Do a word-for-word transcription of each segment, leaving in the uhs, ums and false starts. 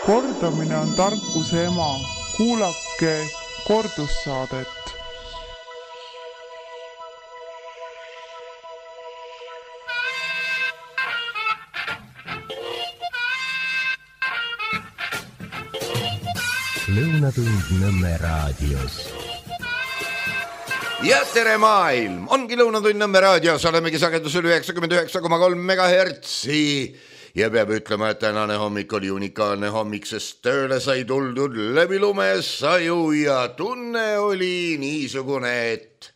Kordamine on tarkuse ema. Kuulake kordussaadet. Lõunatund Nõmme raadios. Ja tere maailm! Ongi Lõunatund Nõmme raadios, olemegi sagedusel üheksakümmend üheksa koma kolm megahertsi. Ja peab ütlema, et tänane hommik oli unikaalne hommik, sest tööle sai tuldud läbi lumesaju ja tunne oli niisugune, et,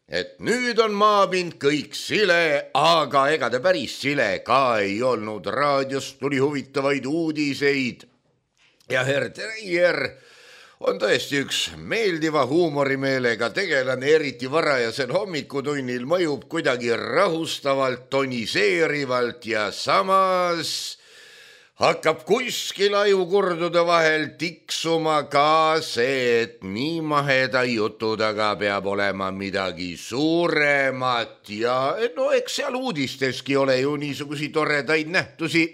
et nüüd on maapind kõik sile, aga ega ta päris sile ka ei olnud. Raadiost tuli huvitavaid uudiseid ja Herr Treier on tõesti üks meeldiva huumorimeelega tegelane, eriti varajasel hommikutunnil mõjub kuidagi rahustavalt, toniseerivalt ja samas hakkab kuskil ajukurdude vahel tiksuma ka see, et nii maheda jutu taga peab olema midagi suuremat ja no eks seal uudisteski ole ju niisugusi toredaid nähtusi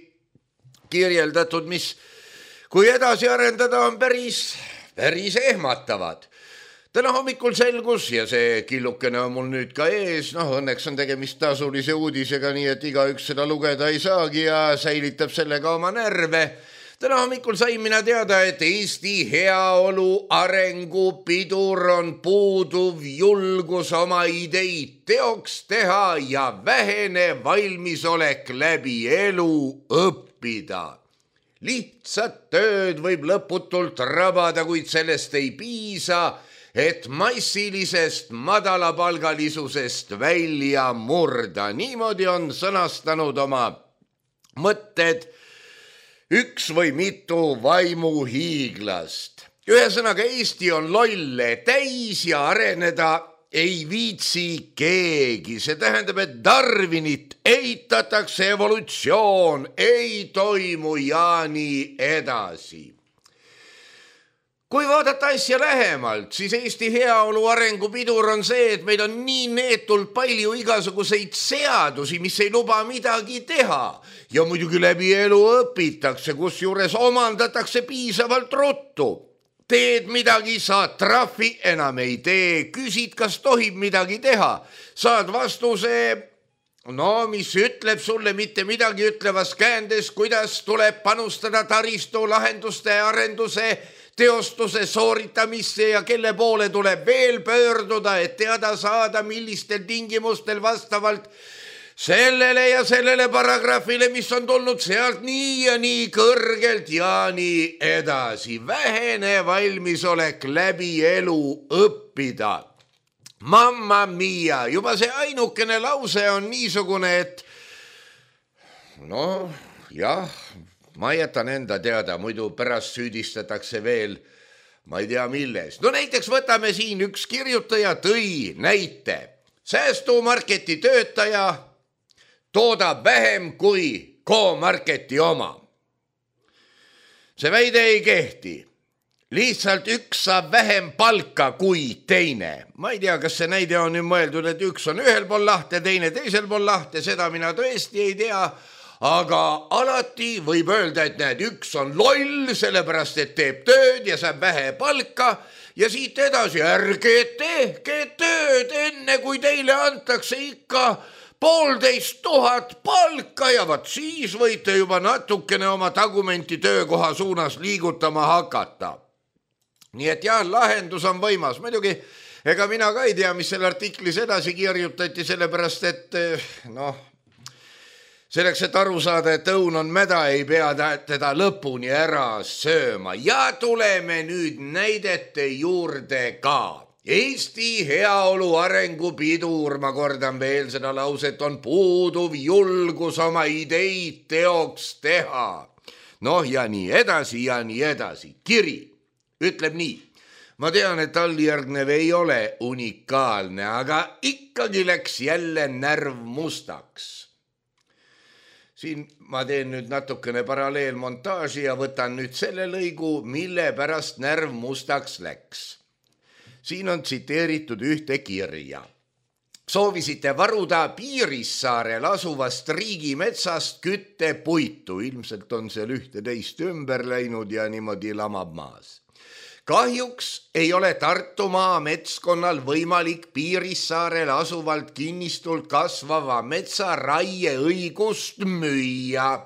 kirjeldatud, mis kui edasi arendada on päris päris ehmatavad. Täna hommikul selgus ja see killukene on mul nüüd ka ees, noh õnneks on tegemist tasulise uudisega, nii et igaüks seda lugeda ei saagi ja säilitab sellega oma närve. Täna hommikul sain mina teada, et Eesti heaolu arengupidur on puuduv julgus oma ideid teoks teha ja vähene valmisolek läbi elu õppida. Lihtsat tööd võib lõputult rabada, kuid sellest ei piisa, et massilisest madalapalgalisusest välja murda. Niimoodi on sõnastanud oma mõtted üks või mitu vaimuhiiglast. Ühesõnaga, Eesti on lolle täis ja areneda ei viitsi keegi. See tähendab, et Darwinit eitatakse, evolutsioon ei toimu ja nii edasi. Kui vaadata asja lähemalt, siis Eesti heaolu arengupidur on see, et meil on nii neetult palju igasuguseid seadusi, mis ei luba midagi teha. Ja muidugi läbi elu õpitakse, kus juures omandatakse piisavalt ruttu. Teed midagi, saad trahvi, enam ei tee, küsid, kas tohib midagi teha. Saad vastuse, no mis ütleb sulle mitte midagi ütlevas käändes, kuidas tuleb panustada taristu lahenduste arenduse, teostuse sooritamisse ja kelle poole tuleb veel pöörduda, et teada saada, millistel tingimustel vastavalt sellele ja sellele paragrahvile, mis on tulnud sealt nii ja nii kõrgelt ja nii edasi. Vähene valmisolek läbi elu õppida. Mamma mia, juba see ainukene lause on niisugune, et no jah, ma jätan enda teada, muidu pärast süüdistatakse veel, ma ei tea milles. No näiteks võtame siin üks kirjutaja tõi näite. Säästumarketi töötaja toodab vähem kui K-Marketi oma. See väide ei kehti. Lihtsalt üks saab vähem palka kui teine. Ma ei tea, kas see näide on nüüd mõeldud, et üks on ühel pool lahte, teine teisel pool lahte, seda mina tõesti ei tea, aga alati võib öelda, et näed, üks on loll, sellepärast et teeb tööd ja saab vähe palka ja siit edasi ärge tehke tööd enne, kui teile antakse ikka poolteist tuhat palka ja vat siis võite juba natukene oma tagumenti töökoha suunas liigutama hakata. Nii et jah, lahendus on võimas. Muidugi, ega mina ka ei tea, mis selle artiklis edasi kirjutati, sellepärast et noh, selleks, et aru saada, et õun on mäda, ei pea teda lõpuni ära sööma. Ja tuleme nüüd näidete juurde ka. Eesti heaolu arengupidur, ma kordan veel seda lauset, on puuduv julgus oma ideid teoks teha. Noh ja nii edasi ja nii edasi. Kiri ütleb nii. Ma tean, et alljärgnev ei ole unikaalne, aga ikkagi läks jälle närv mustaks. Siin ma teen nüüd natukene paralleelmontaaži ja võtan nüüd selle lõigu, mille pärast närv mustaks läks. Siin on tsiteeritud ühte kirja. soovisite varuda Piirissaarel asuvast riigimetsast küttepuitu. Ilmselt on seal ühte-teist ümber läinud ja niimoodi lamab maas. Kahjuks ei ole Tartumaa metskonnal võimalik Piirissaarel asuvalt kinnistult kasvava metsa raieõigust müüa,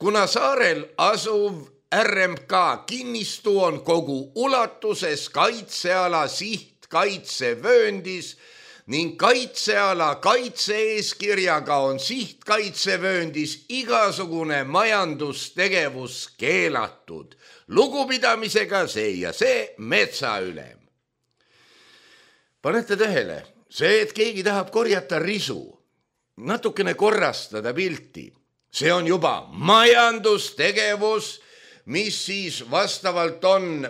kuna saarel asuv R M K kinnistu on kogu ulatuses kaitseala sihtkaitsevööndis ning kaitseala kaitse-eeskirjaga on sihtkaitsevööndis igasugune majandustegevus keelatud. Lugupidamisega see ja see metsaülem. Panete tähele, see, et keegi tahab korjata risu, natukene korrastada pilti, see on juba majandustegevus, mis siis vastavalt on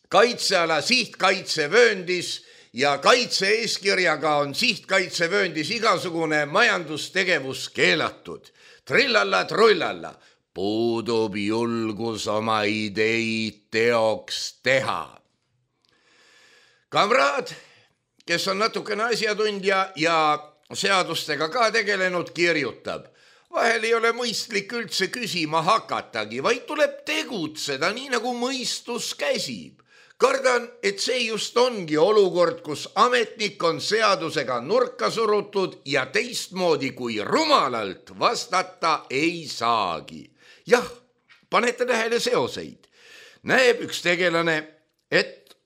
kaitseala sihtkaitsevööndis ja kaitse-eeskirjaga on sihtkaitsevööndis igasugune majandustegevus keelatud. Trillalla, trullalla. Puudub julgus oma ideid teoks teha. Kamraad, kes on natukene asjatundja ja seadustega ka tegelenud, kirjutab. Vahel ei ole mõistlik üldse küsima hakatagi, vaid tuleb tegutseda nii, nagu mõistus käsib. Kardan, et see just ongi olukord, kus ametnik on seadusega nurka surutud ja teistmoodi kui rumalalt vastata ei saagi. Jah, panete tähele seoseid. Näeb üks tegelane, et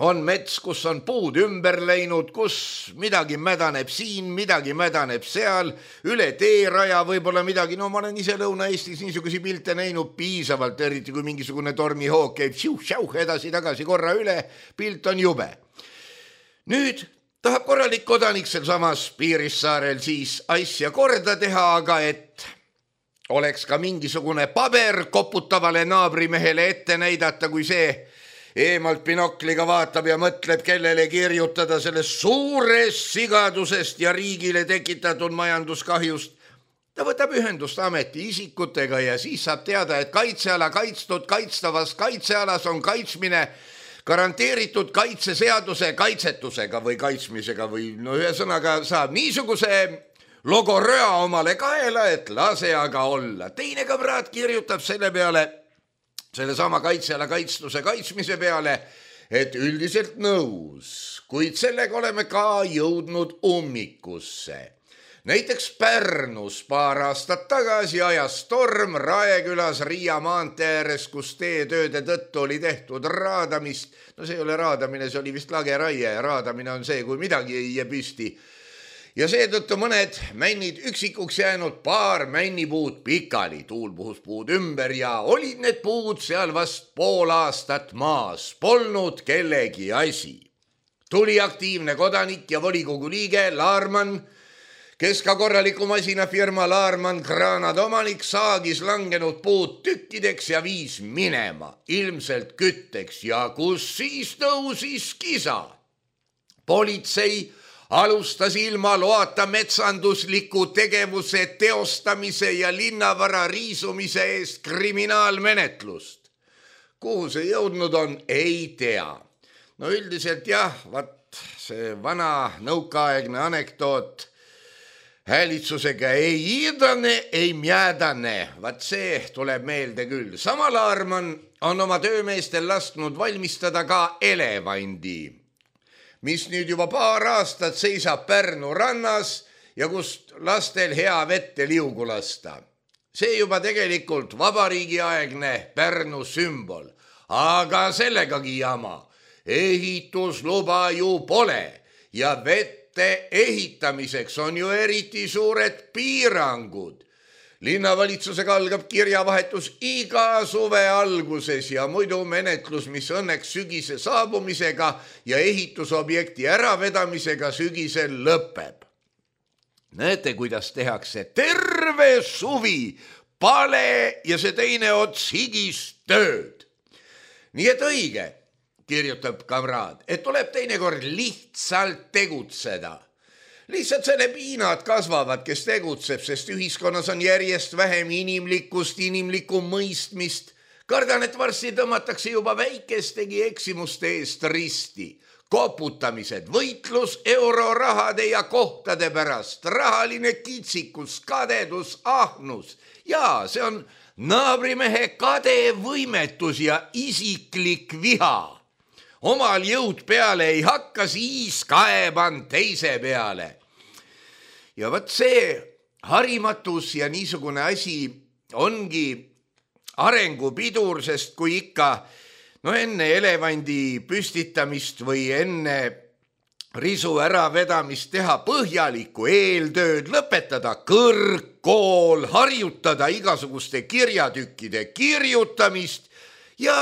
on mets, kus on puud ümber läinud, kus midagi mädaneb siin, midagi mädaneb seal, üle teeraja võib-olla midagi. No ma olen ise Lõuna-Eestis niisugusi pilte näinud piisavalt, eriti kui mingisugune tormihoog käib šiuh-šiuh edasi-tagasi korra üle, pilt on jube. Nüüd tahab korralik kodanik sel samas Piirissaarel siis asja korda teha, aga et oleks ka mingisugune paber koputavale naabrimehele ette näidata, kui see eemalt binokliga vaatab ja mõtleb, kellele kirjutada sellest suurest sigadusest ja riigile tekitatud majanduskahjust. Ta võtab ühendust ameti isikutega ja siis saab teada, et kaitseala kaitstud kaitstavas kaitsealas on kaitsmine garanteeritud kaitseseaduse kaitsetusega või kaitsmisega või no ühesõnaga saab niisuguse logoröa omale kaela, et lase aga olla. Teine kamraad kirjutab selle peale, selle sama kaitseala kaitstuse kaitsmise peale, et üldiselt nõus, kuid sellega oleme ka jõudnud ummikusse. Näiteks Pärnus paar aastat tagasi ajas storm Raekülas Riia maantee ääres, kus teetööde tõttu oli tehtud raadamist. No see ei ole raadamine, see oli vist lageraie. Raadamine on see, kui midagi ei jää püsti. Ja seetõttu mõned männid üksikuks jäänud, paar männipuud pikali, tuul puhus puud ümber ja olid need puud seal vast pool aastat maas, polnud kellegi asi. Tuli aktiivne kodanik ja volikogu liige Laarman, kes ka korraliku masinafirma Laarman Granad omanik saagis langenud puud tükkideks ja viis minema, ilmselt kütteks ja kus siis tõusis kisa. Politsei alustas ilma loata metsandusliku tegevuse teostamise ja linnavara riisumise eest kriminaalmenetlust. Kuhu see jõudnud on, ei tea. No üldiselt jah, vat see vana nõukaaegne anekdoot häälitsusega ei iidane, ei mjäädane. Vat see tuleb meelde küll. Sama Laarman on oma töömeestel lasknud valmistada ka elevandi, mis nüüd juba paar aastat seisab Pärnu rannas ja kust lastel hea vette liugu lasta. See juba tegelikult vabariigiaegne Pärnu sümbol, aga sellegagi jama. Ehitusluba ju pole ja vette ehitamiseks on ju eriti suured piirangud. Linnavalitsusega algab kirjavahetus iga suve alguses ja muidu menetlus, mis õnneks sügise saabumisega ja ehitusobjekti äravedamisega sügisel lõpeb. Näete, kuidas tehakse terve suvi pale ja see teine ots higist tööd. Nii et õige, kirjutab kamraad, et tuleb teinekord lihtsalt tegutseda. Lihtsalt selle piinad kasvavad, kes tegutseb, sest ühiskonnas on järjest vähem inimlikkust, inimlikku mõistmist. Kardan, et varsti tõmmatakse juba väikestegi eksimuste eest risti. koputamised, võitlus eurorahade ja kohtade pärast, rahaline kitsikus, kadedus, ahnus. Ja see on naabrimehe kade võimetus ja isiklik viha. Omal jõud peale ei hakka, siis kaeban teise peale. Ja võt see harimatus ja niisugune asi ongi arengupidur, sest kui ikka no enne elevandi püstitamist või enne risu äravedamist teha põhjalikku eeltööd, lõpetada kõrgkool, harjutada igasuguste kirjatükkide kirjutamist ja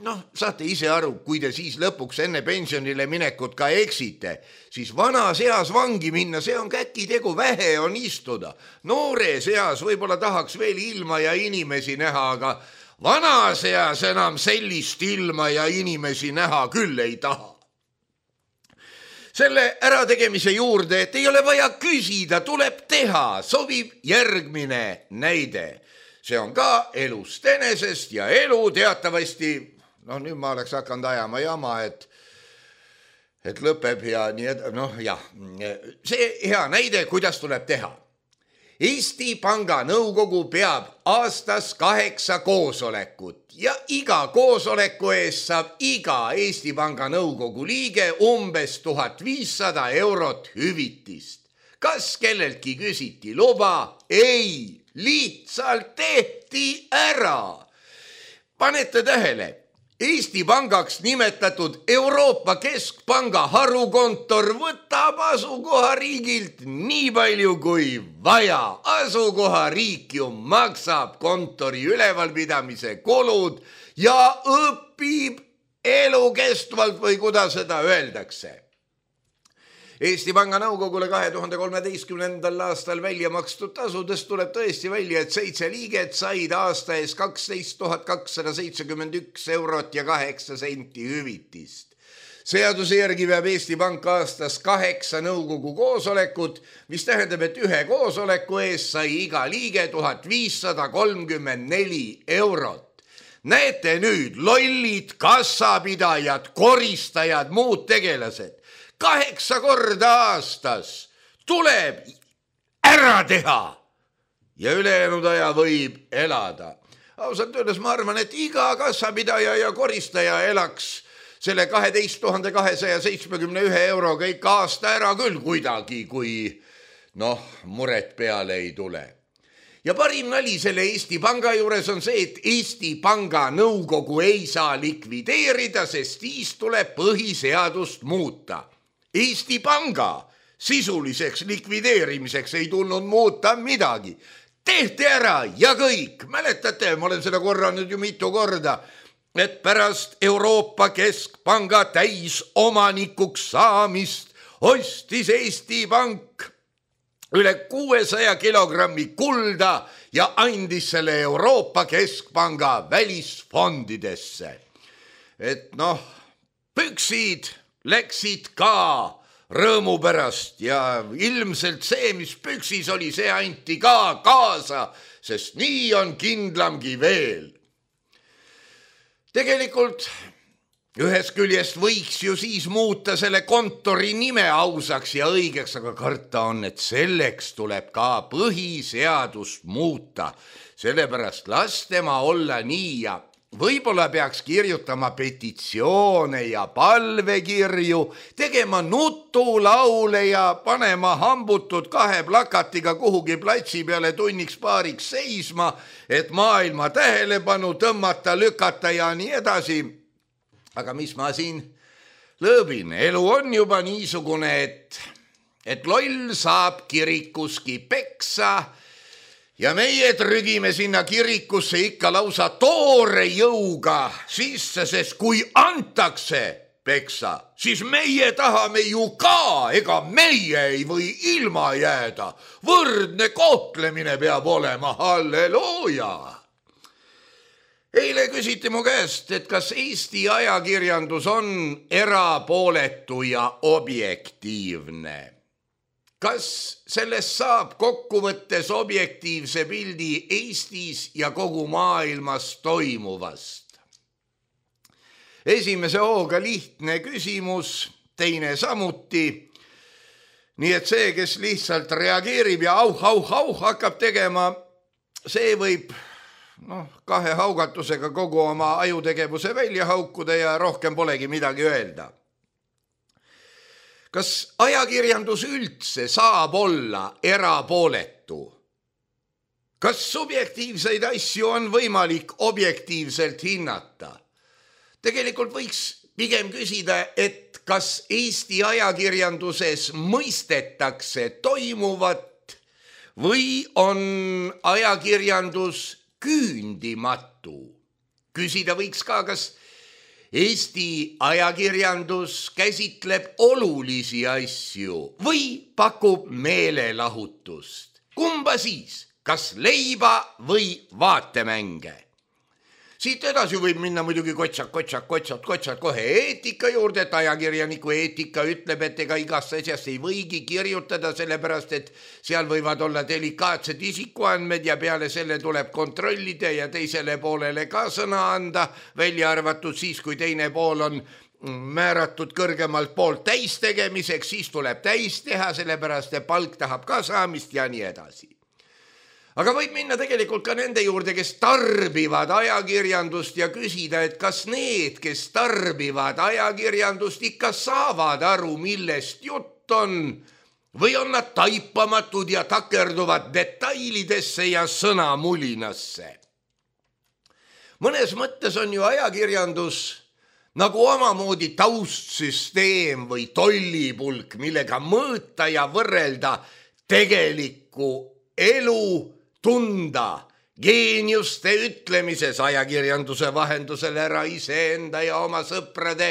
noh, saate ise aru, kui te siis lõpuks enne pensionile minekut ka eksite, siis vanas eas vangi minna, see on käkitegu, vähe on istuda. Noores eas võib-olla tahaks veel ilma ja inimesi näha, aga vanas eas enam sellist ilma ja inimesi näha küll ei taha. Selle ärategemise juurde, et ei ole vaja küsida, tuleb teha, sobib järgmine näide. See on ka elust enesest ja elu teatavasti, noh nüüd ma oleks hakanud ajama jama, et, et lõpeb ja nii ed-, noh jah, see hea näide, kuidas tuleb teha. Eesti Panga nõukogu peab aastas kaheksa koosolekut ja iga koosoleku eest saab iga Eesti Panga nõukogu liige umbes tuhat viissada eurot hüvitist. Kas kelleltki küsiti luba? Ei, lihtsalt tehti ära. Panete tähele, Eesti Pangaks nimetatud Euroopa Keskpanga harukontor võtab asukohariigilt nii palju kui vaja. Asukohariik ju maksab kontori ülevalpidamise kulud ja õpib elukestvalt või kuidas seda öeldakse. Eesti Panga nõukogule kahe tuhande kolmeteistkümnendal aastal välja makstud tasudest tuleb tõesti välja, et seitse liiget said aasta ees kaksteist tuhat kakssada seitsekümmend üks eurot ja kaheksa senti hüvitist. Seaduse järgi peab Eesti Pank aastas kaheksa nõukogu koosolekut, mis tähendab, et ühe koosoleku ees sai iga liige tuhat viissada kolmkümmend neli eurot. Näete nüüd, lollid, kassapidajad, koristajad, muud tegelased. Kaheksa korda aastas tuleb ära teha ja ülejäänud aja võib elada. Ausalt öeldes ma arvan, et iga kassapidaja ja koristaja elaks selle kaheteist tuhande kahesaja seitsmekümne ühe euroga ikka aasta ära küll kuidagi, kui noh, muret peale ei tule. Ja parim nali selle Eesti Panga juures on see, et Eesti Panga nõukogu ei saa likvideerida, sest siis tuleb põhiseadust muuta. Eesti Panga sisuliseks likvideerimiseks ei tulnud muuta midagi. Tehti ära ja kõik. Mäletate, ma olen seda korranud ju mitu korda, et pärast Euroopa Keskpanga täisomanikuks saamist ostis Eesti Pank üle kuuesaja kilogrammi kulda ja andis selle Euroopa Keskpanga välisfondidesse. Et noh, püksid läksid ka rõõmu pärast ja ilmselt see, mis püksis oli, see anti ka kaasa, sest nii on kindlamgi veel. Tegelikult ühest küljest võiks ju siis muuta selle kontori nime ausaks ja õigeks, aga karta on, et selleks tuleb ka põhiseadust muuta. Sellepärast las tema olla nii ja võib-olla peaks kirjutama petitsioone ja palvekirju, tegema nutulaule ja panema hambutud kahe plakatiga kuhugi platsi peale tunniks paariks seisma, et maailma tähelepanu tõmmata, lükata ja nii edasi. Aga mis ma siin lõõbin? Elu on juba niisugune, et, et loll saab kirikuski peksa ja meie trügime sinna kirikusse ikka lausa toore jõuga sisse, sest kui antakse peksa, siis meie tahame ju ka, ega meie ei või ilma jääda. Võrdne kohtlemine peab olema, halleluuja. Eile küsiti mu käest, et kas Eesti ajakirjandus on erapooletu ja objektiivne. Kas sellest saab kokkuvõttes objektiivse pildi Eestis ja kogu maailmas toimuvast? Esimese hooga lihtne küsimus, teine samuti. Nii et see, kes lihtsalt reageerib ja auh, auh, auh hakkab tegema, see võib noh, kahe haugatusega kogu oma ajutegevuse välja haukuda ja rohkem polegi midagi öelda. Kas ajakirjandus üldse saab olla erapooletu? Kas subjektiivseid asju on võimalik objektiivselt hinnata? Tegelikult võiks pigem küsida, et kas Eesti ajakirjanduses mõistetakse toimuvat või on ajakirjandus küündimatu? Küsida võiks ka, kas Eesti ajakirjandus käsitleb olulisi asju või pakub meelelahutust. Kumba siis? Kas leiba või vaatemänge? Siit edasi võib minna muidugi kotsak, kotsak, kotsat, kotsat kohe eetika juurde, et ajakirjaniku eetika ütleb, et ega igast asjast ei võigi kirjutada, sellepärast, et seal võivad olla delikaatsed isikuandmed ja peale selle tuleb kontrollida ja teisele poolele ka sõna anda, välja arvatud siis, kui teine pool on määratud kõrgemalt poolt täis tegemiseks, siis tuleb täis teha, sellepärast, et palk tahab ka saamist ja nii edasi. Aga võib minna tegelikult ka nende juurde, kes tarbivad ajakirjandust ja küsida, et kas need, kes tarbivad ajakirjandust, ikka saavad aru, millest jutt on, või on nad taipamatud ja takerduvad detailidesse ja sõnamulinasse. Mõnes mõttes on ju ajakirjandus nagu omamoodi taustsüsteem või tollipulk, millega mõõta ja võrrelda tegelikku elu, tunda geeniuste ütlemises ajakirjanduse vahendusel ära iseenda ja oma sõprade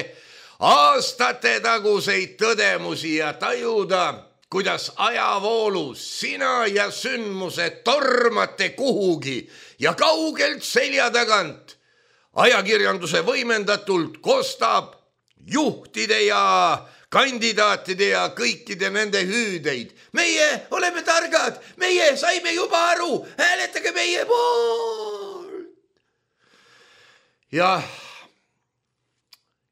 aastate taguseid tõdemusi ja tajuda, kuidas ajavoolus sina ja sündmused tormate kuhugi ja kaugelt selja tagant ajakirjanduse võimendatult kostab juhtide ja kandidaatide ja kõikide nende hüüdeid. Meie oleme targad, meie saime juba aru, hääletage meie poolt. Ja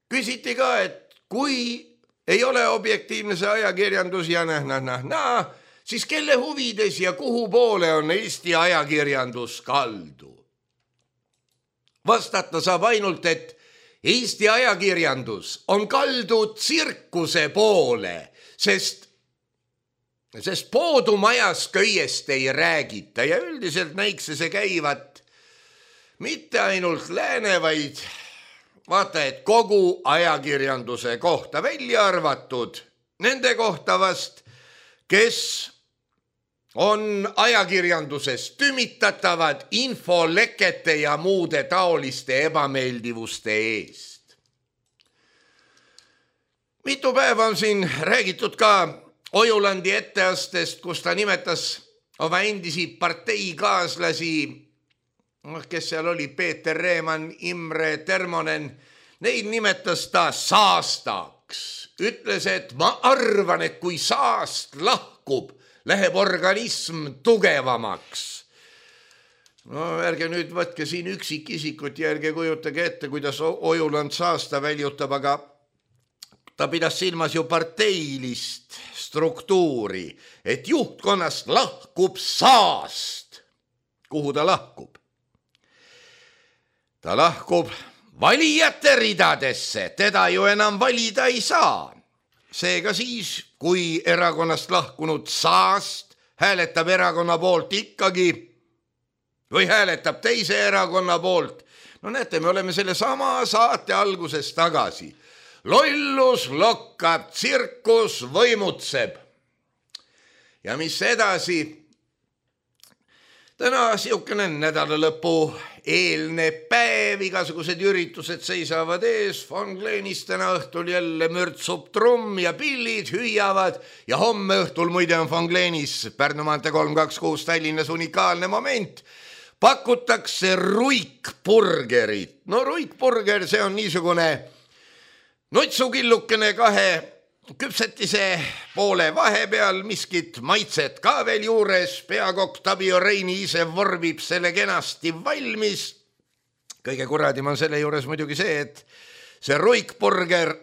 küsiti ka, et kui ei ole objektiivne see ajakirjandus ja nah, nah, nah, nah, siis kelle huvides ja kuhu poole on Eesti ajakirjandus kaldu? Vastata saab ainult, et Eesti ajakirjandus on kaldu tsirkuse poole, sest, sest poodumajas köiest ei räägita ja üldiselt näikse see käivat mitte ainult lääne, vaid vaata, et kogu ajakirjanduse kohta välja arvatud nende kohta vast, kes on ajakirjanduses tümitatavad infolekete ja muude taoliste ebameeldivuste eest. Mitu päeva on siin räägitud ka Ojulandi etteastest, kus ta nimetas oma endisi parteikaaslasi, kes seal oli, Peeter Reeman, Imre Termonen, neid nimetas ta saastaks. Ütles, et ma arvan, et kui saast lahkub, läheb organism tugevamaks. No ärge nüüd võtke siin üksikisikut ja ärge kujutage ette, kuidas Ojuland saasta väljutab, aga ta pidas silmas ju parteilist struktuuri, et juhtkonnast lahkub saast. Kuhu ta lahkub? Ta lahkub valijate ridadesse, teda ju enam valida ei saa. Seega siis, kui erakonnast lahkunud saast hääletab erakonna poolt ikkagi või hääletab teise erakonna poolt, no näete, me oleme selle sama saate alguses tagasi. Lollus lokkab, tsirkus võimutseb. Ja mis edasi? Täna siukene nädala lõpu eelne päev, igasugused üritused seisavad ees, Von Glenis täna õhtul jälle mürtsub trumm ja pillid hüüavad ja homme õhtul muide on Von Glenis Pärnu maantee kolm kaks kuus Tallinnas unikaalne moment. Pakutakse ruikburgerit. No ruikburger, see on niisugune nutsukillukene kahe küpsetise poole vahepeal, miskit maitset ka veel juures, peakokk Tabio Reini ise vormib selle kenasti valmis. Kõige kuradim on selle juures muidugi see, et see ruikburger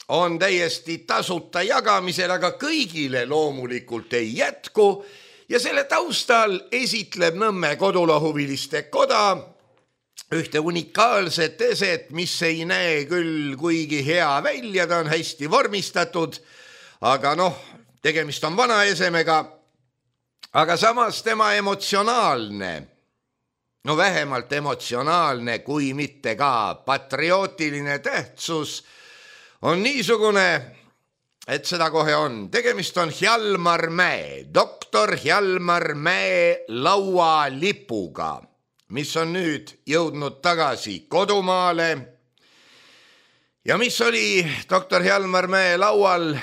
on täiesti tasuta jagamisel, aga kõigile loomulikult ei jätku ja selle taustal esitleb Nõmme Kodulahuviliste Koda ühte unikaalset eset, mis ei näe küll kuigi hea välja, ta on hästi vormistatud, aga noh, tegemist on vana esemega, aga samas tema emotsionaalne, no vähemalt emotsionaalne, kui mitte ka patriootiline tähtsus on niisugune, et seda kohe on. Tegemist on Hjalmar Mäe, doktor Hjalmar Mäe laualipuga, mis on nüüd jõudnud tagasi kodumaale ja mis oli doktor Hjalmar Mäe laual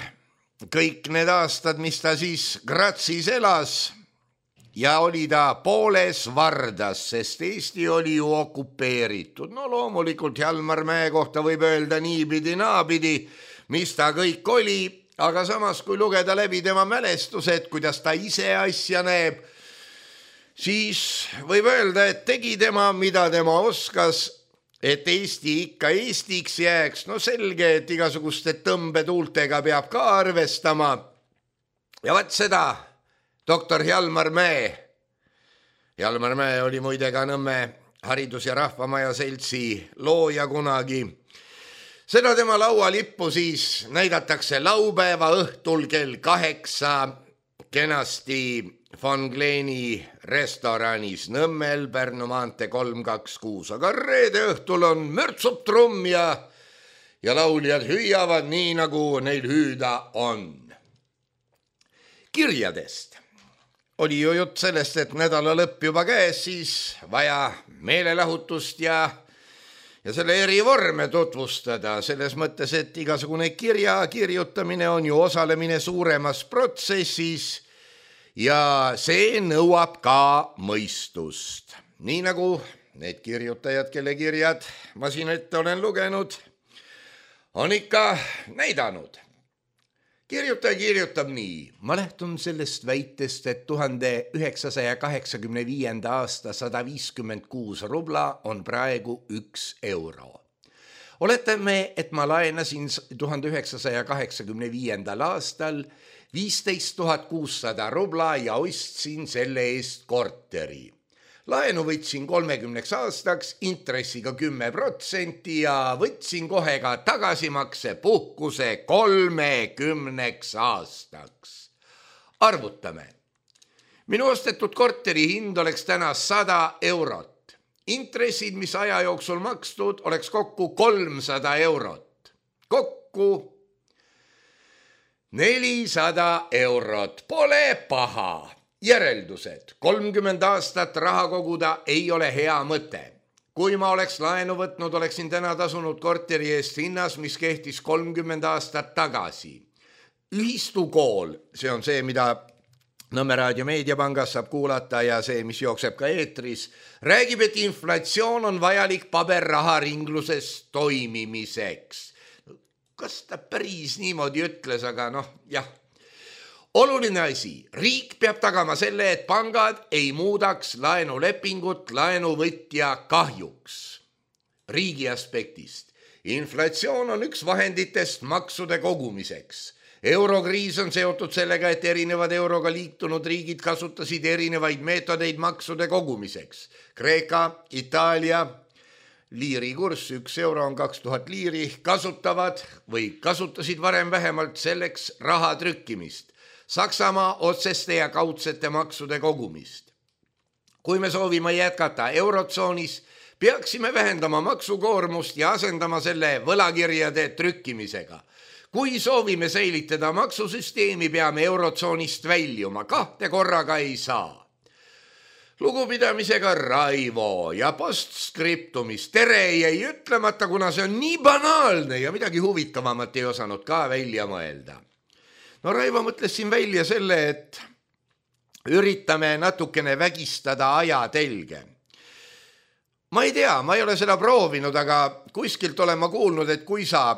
kõik need aastad, mis ta siis Grazis elas ja oli ta pooles Vardas, sest Eesti oli ju okupeeritud. No loomulikult Hjalmar Mäe kohta võib öelda niipidi naapidi, mis ta kõik oli, aga samas kui lugeda läbi tema mälestused, kuidas ta ise asja näeb, siis võib öelda, et tegi tema, mida tema oskas, et Eesti ikka Eestiks jääks. No selge, et igasuguste tõmbetuultega peab ka arvestama. Ja vaat seda doktor Hjalmar Mäe. Hjalmar Mäe oli muide ka Nõmme Haridus- ja Rahvamaja seltsi looja kunagi. Seda tema laualippu siis näidatakse laupäeva õhtul kell kaheksa kenasti Von Kleeni restoranis Nõmmel, Pärnu maantee kolm kaks kuus. Aga reede õhtul on mürtsub trumm ja, ja lauljad hüüavad nii, nagu neil hüüda on. Kirjadest oli ju jutt sellest, et nädala lõpp juba käes, siis vaja meelelahutust ja, ja selle eri vorme tutvustada. Selles mõttes, et igasugune kirja kirjutamine on ju osalemine suuremas protsessis ja see nõuab ka mõistust. Nii nagu need kirjutajad, kelle kirjad ma siin ette olen lugenud, on ikka näidanud. Kirjutaja kirjutab nii. Ma lähtun sellest väitest, et tuhande üheksasaja kaheksakümne viienda aasta sada viiskümmend kuus rubla on praegu üks euro. Oletame, et ma laenasin tuhande üheksasaja kaheksakümne viiendal aastal viisteist tuhat kuussada rubla ja ostsin selle eest korteri. Laenu võtsin kolmekümneks aastaks intressiga kümme protsenti ja võtsin kohe ka tagasimakse puhkuse kolmekümneks aastaks. Arvutame. Minu ostetud korteri hind oleks täna sada eurot. Intressid, mis aja jooksul makstud, oleks kokku kolmsada eurot. Kokku nelisada eurot. Pole paha. Järeldused. kolmkümmend aastat raha koguda ei ole hea mõte. Kui ma oleks laenu võtnud, oleksin täna tasunud korteri eest hinnas, mis kehtis kolmkümmend aastat tagasi. Ühistukool, see on see, mida Nõmme Raadio Meediapangas saab kuulata ja see, mis jookseb ka eetris, räägib, et inflatsioon on vajalik paberraha ringluses toimimiseks. Kas ta päris niimoodi ütles, aga noh, jah. Oluline asi, riik peab tagama selle, et pangad ei muudaks laenulepingut laenuvõtja kahjuks. Riigi aspektist. Inflatsioon on üks vahenditest maksude kogumiseks. Eurokriis on seotud sellega, et erinevad euroga liitunud riigid kasutasid erinevaid meetodeid maksude kogumiseks. Kreeka, Itaalia, liiri kurss, üks euro on kaks tuhat liiri, kasutavad või kasutasid varem vähemalt selleks raha trükkimist. Saksamaa otseste ja kaudsete maksude kogumist. Kui me soovime jätkata eurotsoonis, peaksime vähendama maksukoormust ja asendama selle võlakirjade trükkimisega. Kui soovime säilitada maksusüsteemi, peame eurotsoonist väljuma, kahte korraga ei saa. Lugupidamisega Raivo ja postskriptumis tere jäi ütlemata, kuna see on nii banaalne ja midagi huvitavamat ei osanud ka välja mõelda. No Raivo mõtles siin välja selle, et üritame natukene vägistada ajatelge. Ma ei tea, ma ei ole seda proovinud, aga kuskilt olen ma kuulnud, et kui sa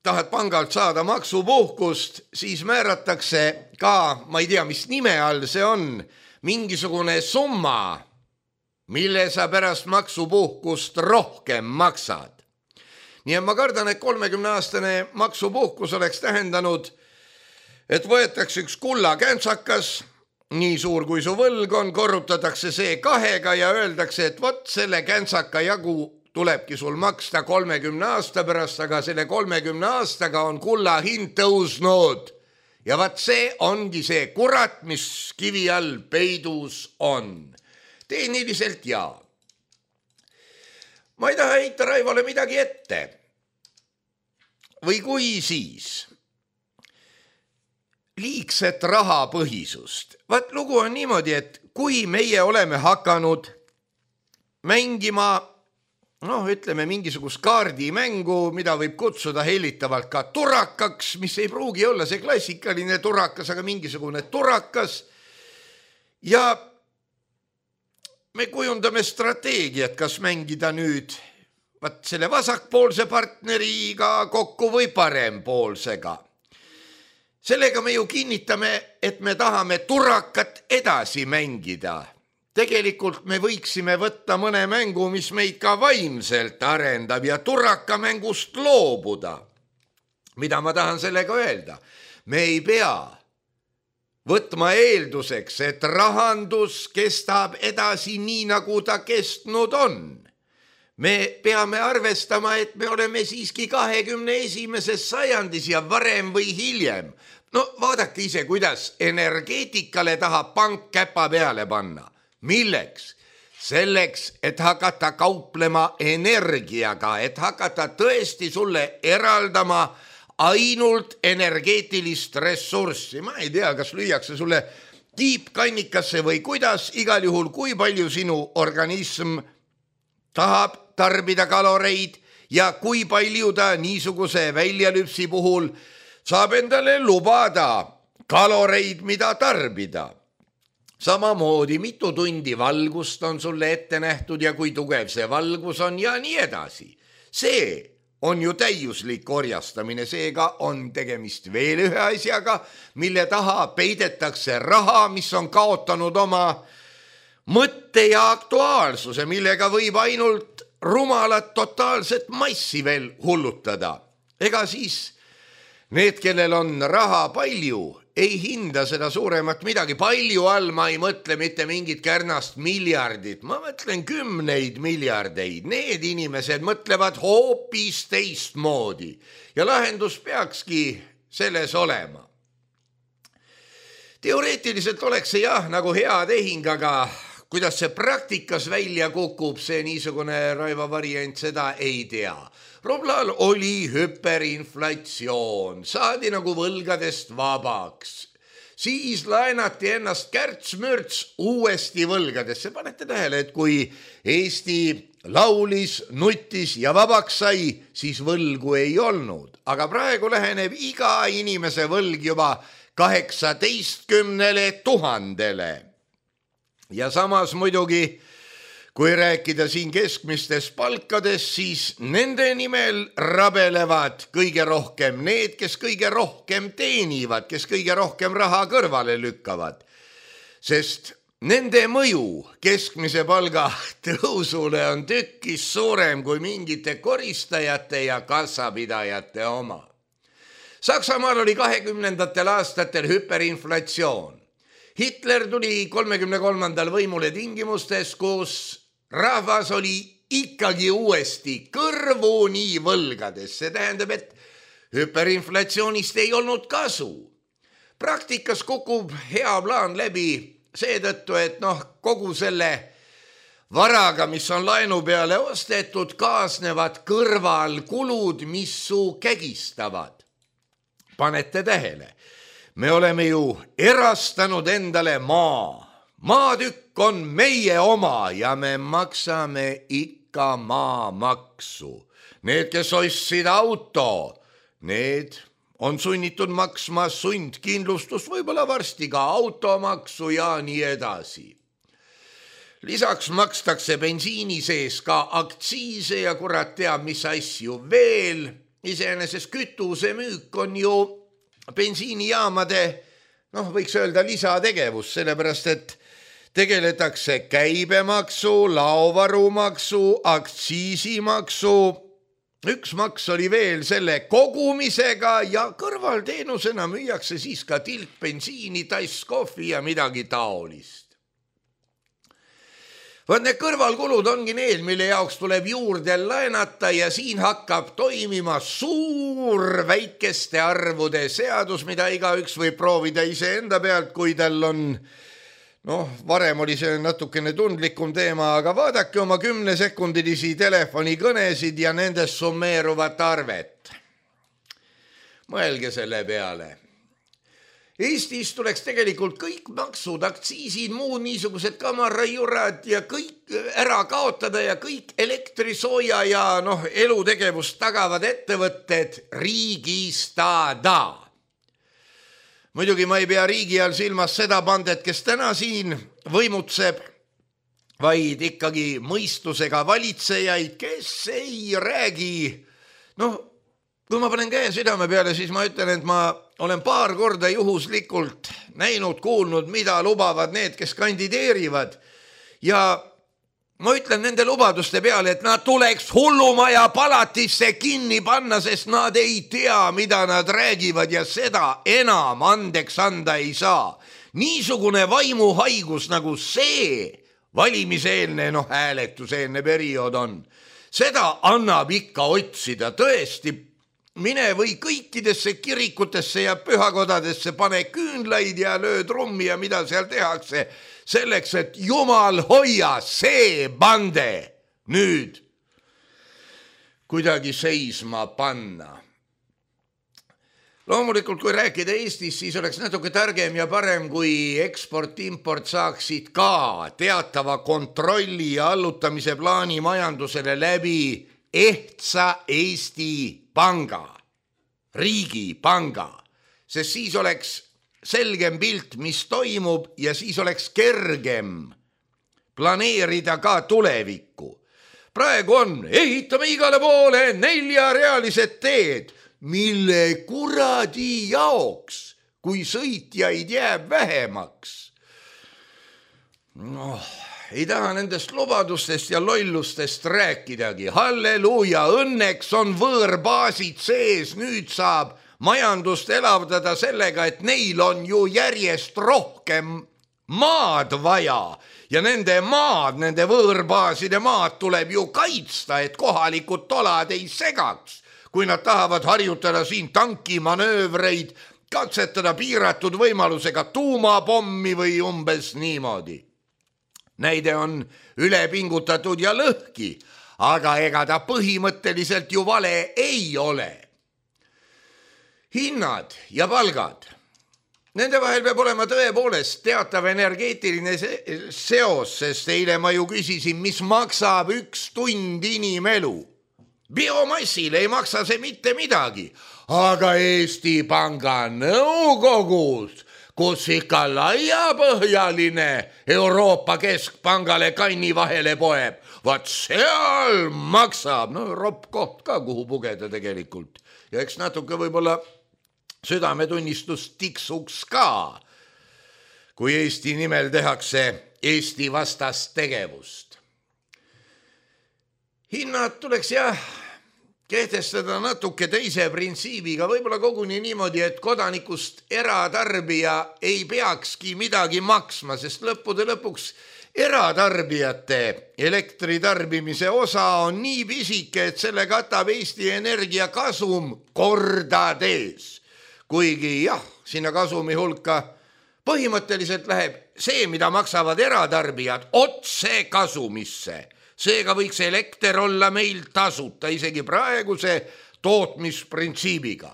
tahad pangalt saada maksupuhkust, siis määratakse ka, ma ei tea, mis nime all see on, mingisugune summa, mille sa pärast maksupuhkust rohkem maksad. nii et ma kardan, et kolmekümne aastane maksupuhkus oleks tähendanud, et võetakse üks kulla käntsakas, nii suur kui su võlg on, korrutatakse see kahega ja öeldakse, et vot selle käntsaka jagu tulebki sul maksta kolmekümne aasta pärast, aga selle kolmekümne aastaga on kulla hind tõusnud. Ja vaat see ongi see kurat, mis kivi all peidus on. Tehniliselt jaa. Ma ei taha heita Raivole midagi ette. Või kui siis? Liigset rahapõhisust. Vaat lugu on niimoodi, et kui meie oleme hakanud mängima, noh, ütleme mingisugust kaardimängu, mida võib kutsuda hellitavalt ka turakaks, mis ei pruugi olla see klassikaline turakas, aga mingisugune turakas. Ja me kujundame strateegiat, kas mängida nüüd vaat selle vasakpoolse partneriga kokku või parempoolsega. Sellega me ju kinnitame, et me tahame turakat edasi mängida. Tegelikult me võiksime võtta mõne mängu, mis meid ka vaimselt arendab ja turaka mängust loobuda. Mida ma tahan sellega öelda? Me ei pea võtma eelduseks, et rahandus kestab edasi nii, nagu ta kestnud on. Me peame arvestama, et me oleme siiski kahekümne esimeses sajandis ja varem või hiljem. No vaadake ise, kuidas energeetikale tahab pank käpa peale panna. Milleks? Selleks, et hakata kauplema energiaga, et hakata tõesti sulle eraldama ainult energeetilist ressurssi. Ma ei tea, kas lüüakse sulle tiipkannikasse või kuidas, igal juhul kui palju sinu organism tahab tarbida kaloreid ja kui palju ta niisuguse väljalüpsi puhul saab endale lubada kaloreid, mida tarbida. Samamoodi mitu tundi valgust on sulle ette nähtud ja kui tugev see valgus on ja nii edasi. See on ju täiuslik orjastamine, seega on tegemist veel ühe asjaga, mille taha peidetakse raha, mis on kaotanud oma mõtte ja aktuaalsuse, millega võib ainult rumalat totaalset massi veel hullutada. Ega siis need, kellel on raha palju, ei hinda seda suuremat midagi. Palju all ma ei mõtle mitte mingit kärnast miljardit, ma mõtlen kümneid miljardeid. Need inimesed mõtlevad hoopis teistmoodi ja lahendus peakski selles olema. Teoreetiliselt oleks see jah nagu hea tehing, aga kuidas see praktikas välja kukub, see niisugune Raivo variant, seda ei tea. Rublal oli hüperinflatsioon, saadi nagu võlgadest vabaks. Siis laenati ennast kärts-mürts uuesti võlgadesse. Panete tähele, et kui Eesti laulis, nutis ja vabaks sai, siis võlgu ei olnud. Aga praegu läheneb iga inimese võlg juba kaheksateistkümnele tuhandele. Ja samas muidugi, kui rääkida siin keskmistest palkadest, siis nende nimel rabelevad kõige rohkem need, kes kõige rohkem teenivad, kes kõige rohkem raha kõrvale lükkavad. Sest nende mõju keskmise palga tõusule on tükkis suurem kui mingite koristajate ja kassapidajate oma. Saksamaal oli kahekümnendatel aastatel hüperinflatsioon. Hitler tuli kolmekümne kolmandal võimule tingimustes, kus rahvas oli ikkagi uuesti kõrvuni võlgades. See tähendab, et hüperinflatsioonist ei olnud kasu. Praktikas kukub hea plaan läbi seetõttu, et noh, kogu selle varaga, mis on laenu peale ostetud, kaasnevad kõrvalkulud, mis su kägistavad. Panete tähele. Me oleme ju erastanud endale maa. Maatükk on meie oma ja me maksame ikka maamaksu. Need, kes ostsid auto, need on sunnitud maksma sundkindlustust, võib-olla varsti ka automaksu ja nii edasi. Lisaks makstakse bensiini sees ka aktsiise ja kurat teab, mis asju veel. Iseenesest kütuse müük on ju bensiinijaamade, noh, võiks öelda lisategevus, sellepärast, et tegeletakse käibemaksu, laovarumaksu, aktsiisimaksu üks maks oli veel selle kogumisega ja kõrvalteenusena müüakse siis ka tilk bensiini, tass kohvi ja midagi taolist. Vaat need kõrvalkulud ongi need, mille jaoks tuleb juurde laenata ja siin hakkab toimima suur väikeste arvude seadus, mida igaüks võib proovida ise enda pealt, kui tal on, noh, varem oli see natukene tundlikum teema, aga vaadake oma kümnesekundilisi telefonikõnesid ja nendest summeeruvat arvet. Mõelge selle peale. Eestis tuleks tegelikult kõik maksud, aktsiisid, muud niisugused kamarajurad ja kõik ära kaotada ja kõik elektrisooja ja noh, elutegevust tagavad ettevõtted riigistada. Muidugi ma ei pea riigi all silmas seda bandet, kes täna siin võimutseb, vaid ikkagi mõistusega valitsejaid, kes ei räägi, noh, kui ma panen käe südame peale, siis ma ütlen, et ma olen paar korda juhuslikult näinud, kuulnud, mida lubavad need, kes kandideerivad. Ja ma ütlen nende lubaduste peale, et nad tuleks hullumaja palatisse kinni panna, sest nad ei tea, mida nad räägivad ja seda enam andeks anda ei saa. Niisugune vaimuhaigus nagu see valimiseelne, noh, hääletuseelne periood on. Seda annab ikka otsida tõesti. Mine või kõikidesse kirikutesse ja pühakodadesse, pane küünlaid ja löö trummi ja mida seal tehakse, selleks, et Jumal hoia see bande nüüd kuidagi seisma panna. Loomulikult, kui rääkida Eestis, siis oleks natuke targem ja parem, kui eksport-import saaksid ka teatava kontrolli ja allutamise plaani majandusele läbi ehtsa Eesti panga, riigi panga, sest siis oleks selgem pilt, mis toimub ja siis oleks kergem planeerida ka tulevikku. Praegu on, ehitame igale poole neljarealised teed, mille kuradi jaoks, kui sõitjaid jääb vähemaks. Noh, ei taha nendest lubadustest ja lollustest rääkidagi. Halleluuja, õnneks on võõrbaasid sees, nüüd saab majandust elavdada sellega, et neil on ju järjest rohkem maad vaja ja nende maad, nende võõrbaaside maad tuleb ju kaitsta, et kohalikud tolad ei segaks, kui nad tahavad harjutada siin tankimanöövreid, katsetada piiratud võimalusega tuumapommi või umbes niimoodi. Näide on ülepingutatud ja lõhki, aga ega ta põhimõtteliselt ju vale ei ole. Hinnad ja palgad. Nende vahel peab olema tõepoolest teatav energeetiline seos, sest eile ma ju küsisin, mis maksab üks tund inimelu. Biomassil ei maksa see mitte midagi, aga Eesti Panga nõukogus, kus ikka laiapõhjaline Euroopa Keskpangale kanni vahele poeb, vaat seal maksab, no ropp koht ka, kuhu pugeda tegelikult. Ja eks natuke võib-olla südametunnistus tiksuks ka, kui Eesti nimel tehakse Eesti vastast tegevust. Hinnad tuleks jah kehtestada natuke teise printsiibiga, võib-olla koguni niimoodi, et kodanikust eratarbija ei peakski midagi maksma, sest lõppude lõpuks eratarbijate elektritarbimise osa on nii pisike, et selle katab Eesti Energia kasum kordades. Kuigi jah, sinna kasumi hulka põhimõtteliselt läheb see, mida maksavad eratarbijad, otse kasumisse. Seega võiks elekter olla meil tasuta isegi praeguse tootmisprintsiibiga.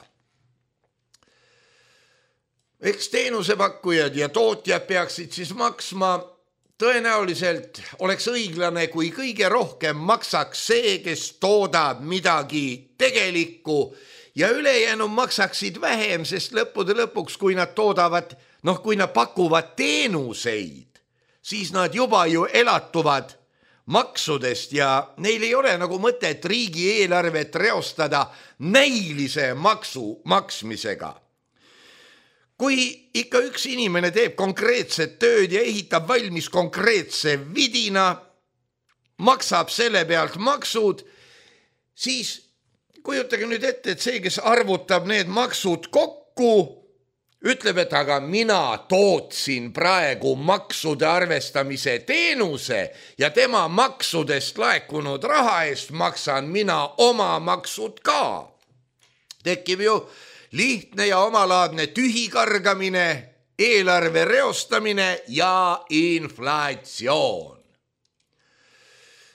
Eks teenusepakkujad ja tootjad peaksid siis maksma, tõenäoliselt oleks õiglane, kui kõige rohkem maksaks see, kes toodab midagi tegelikku ja ülejäänu maksaksid vähem, sest lõppude lõpuks, kui nad toodavad, noh, kui nad pakuvad teenuseid, siis nad juba ju elatuvad maksudest ja neil ei ole nagu mõtet riigieelarvet reostada näilise maksu maksmisega. Kui ikka üks inimene teeb konkreetset tööd ja ehitab valmis konkreetse vidina, maksab selle pealt maksud, siis kujutage nüüd ette, et see, kes arvutab need maksud kokku, ütleb, et aga mina tootsin praegu maksude arvestamise teenuse ja tema maksudest laekunud raha eest maksan mina oma maksud ka. Tekib ju lihtne ja omalaadne tühikargamine, eelarve reostamine ja inflatsioon.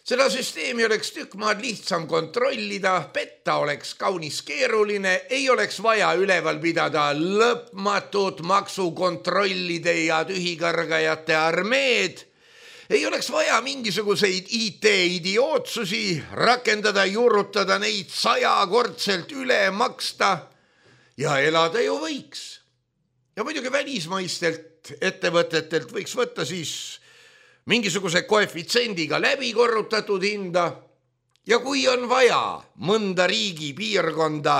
Seda süsteemi oleks tükk maad lihtsam kontrollida, petta oleks kaunis keeruline, ei oleks vaja üleval pidada lõpmatut maksukontrollide ja tühikargajate armeed, ei oleks vaja mingisuguseid I T-idiootsusi, rakendada, juurutada neid sajakordselt üle maksta ja elada ju võiks. Ja muidugi välismaistelt ettevõtetelt võiks võtta siis mingisuguse koefitsendiga läbi korrutatud hinda ja kui on vaja mõnda riigi piirkonda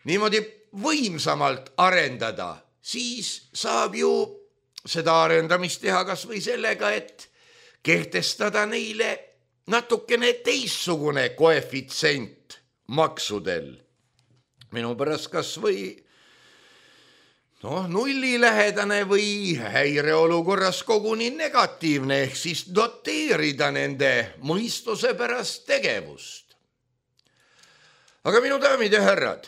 niimoodi võimsamalt arendada, siis saab ju seda arendamist teha kas või sellega, et kehtestada neile natukene teistsugune koefitsent maksudel. Minu pärast kas või noh, nullilähedane või häireolukorras koguni negatiivne ehk siis doteerida nende mõistuse pärast tegevust. Aga minu daamid ja härrad,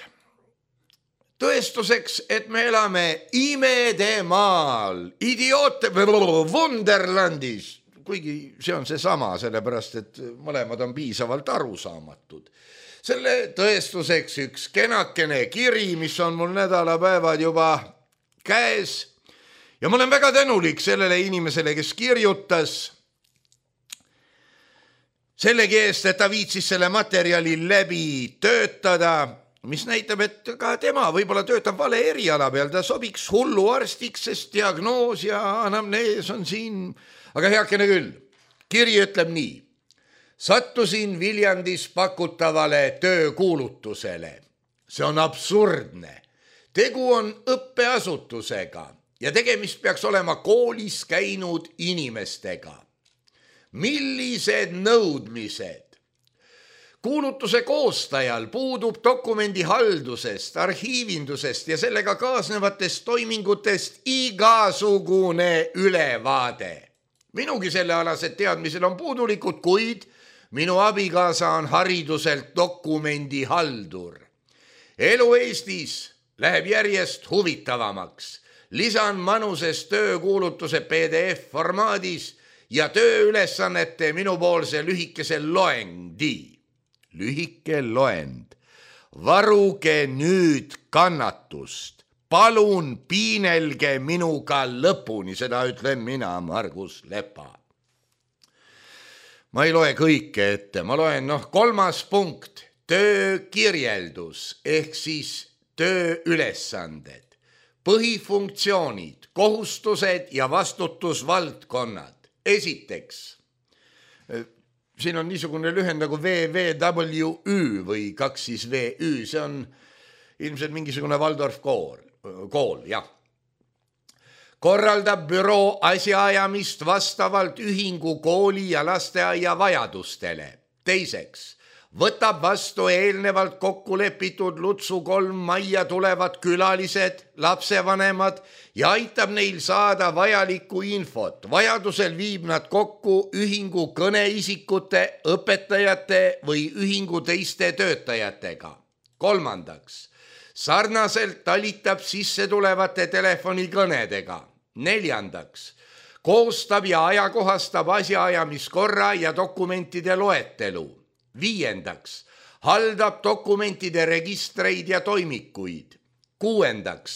tõestuseks, et me elame imedemaal, idioote, Wonderlandis, kuigi see on see sama, sellepärast et mõlemad on piisavalt arusaamatud. Selle tõestuseks üks kenakene kiri, mis on mul nädalapäevad juba käes ja ma olen väga tänulik sellele inimesele, kes kirjutas sellegi eest, et ta viitsis selle materjali läbi töötada, mis näitab, et ka tema võib-olla töötab vale eriala peal, ta sobiks hulluarstiks, sest diagnoos ja anamnees on siin, aga heakene küll. Kiri ütleb nii: sattusin Viljandis pakutavale töökuulutusele. See on absurdne. Tegu on õppeasutusega ja tegemist peaks olema koolis käinud inimestega. Millised nõudmised? Kuulutuse koostajal puudub dokumendi haldusest, arhiivindusest ja sellega kaasnevatest toimingutest igasugune ülevaade. Minugi sellealased teadmised on puudulikud, kuid minu abikaasa on hariduselt dokumendi haldur. Elu Eestis läheb järjest huvitavamaks. Lisan manuses töökuulutuse P D F formaadis ja tööülesannete minupoolse lühikese loendi. Lühike loend. Varuge nüüd kannatust. Palun piinelge minuga lõpuni, seda ütlen mina, Margus Lepa. Ma ei loe kõike ette, ma loen noh, kolmas punkt, töökirjeldus ehk siis tööülesanded, põhifunktsioonid, kohustused ja vastutusvaldkonnad. Esiteks, siin on niisugune lühend nagu V V W Ü või kaks siis V Ü, see on ilmselt mingisugune Waldorf kool, kool, jah. Korraldab büroo asjaajamist vastavalt ühingu kooli ja lasteaia vajadustele. Teiseks, võtab vastu eelnevalt kokku lepitud Lutsu kolm majja tulevad külalised, lapsevanemad ja aitab neil saada vajalikku infot. Vajadusel viib nad kokku ühingu kõneisikute, õpetajate või ühingu teiste töötajatega. Kolmandaks, sarnaselt talitab sisse tulevate telefonikõnedega. Neljandaks, koostab ja ajakohastab asjaajamiskorra ja dokumentide loetelu. Viiendaks, haldab dokumentide registreid ja toimikuid. Kuuendaks,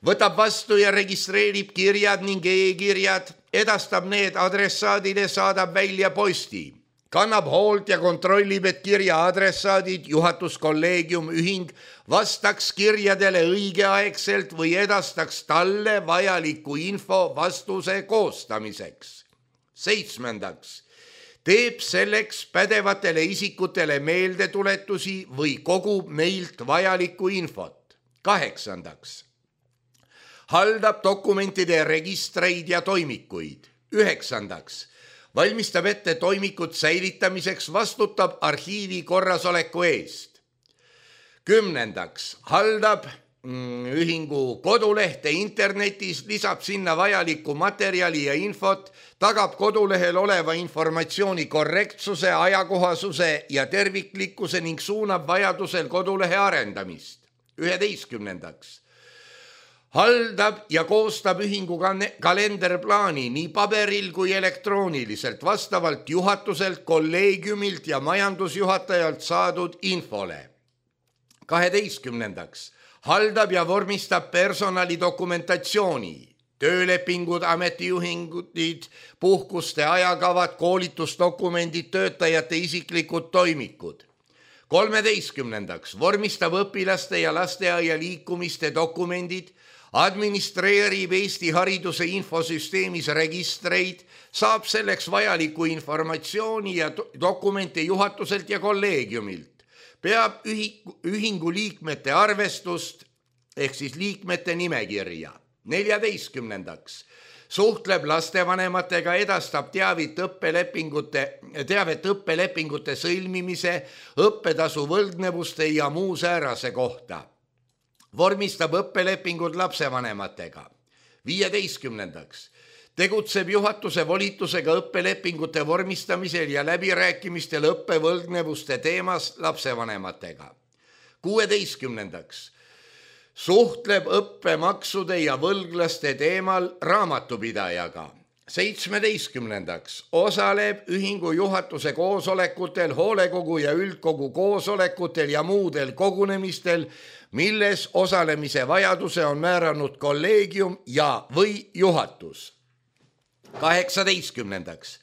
võtab vastu ja registreerib kirjad ning e-kirjad, edastab need adressaadile, saadab välja posti. Kannab hoolt ja kontrollib, et kirja adressaadid, juhatuskolleegium, ühing vastaks kirjadele õigeaegselt või edastaks talle vajaliku info vastuse koostamiseks. Seitsmendaks, teeb selleks pädevatele isikutele meeldetuletusi või kogub neilt vajalikku infot. Kaheksandaks, haldab dokumentide registreid ja toimikuid. Üheksandaks, valmistab ette toimikut säilitamiseks, vastutab arhiivi korrasoleku eest. kümnendaks haldab ühingu kodulehte internetis, lisab sinna vajalikku materjali ja infot, tagab kodulehel oleva informatsiooni korrektsuse, ajakohasuse ja terviklikkuse ning suunab vajadusel kodulehe arendamist. üheteistkümnendaks haldab ja koostab ühingu kalenderplaani nii paberil kui elektrooniliselt vastavalt juhatuselt, kolleegiumilt ja majandusjuhatajalt saadud infole. kaheteistkümnendaks haldab ja vormistab personali dokumentatsiooni, töölepingud, ametijuhingud, puhkuste ajakavad, koolitusdokumendid, töötajate isiklikud toimikud. kolmeteistkümnendaks vormistab õpilaste ja lasteaia liikumiste dokumendid, administreerib Eesti hariduse infosüsteemis registreid, saab selleks vajaliku informatsiooni ja dokumente juhatuselt ja kolleegiumilt. Peab ühingu liikmete arvestust ehk siis liikmete nimekirja. neljateistkümnendaks suhtleb lastevanematega, edastab teavit õppelepingute, teavet õppelepingute sõlmimise, õppetasu võlgnevuste ja muu säärase kohta. Vormistab õppelepingud lapsevanematega. viieteistkümnendaks tegutseb juhatuse volitusega õppelepingute vormistamisel ja läbirääkimistel õppevõlgnevuste teemas lapsevanematega. kuueteistkümnendaks suhtleb õppemaksude ja võlglaste teemal raamatupidajaga. seitsmeteistkümnendaks osaleb ühingu juhatuse koosolekutel, hoolekogu ja üldkogu koosolekutel ja muudel kogunemistel, milles osalemise vajaduse on määranud kolleegium ja või juhatus. kaheksateistkümnendaks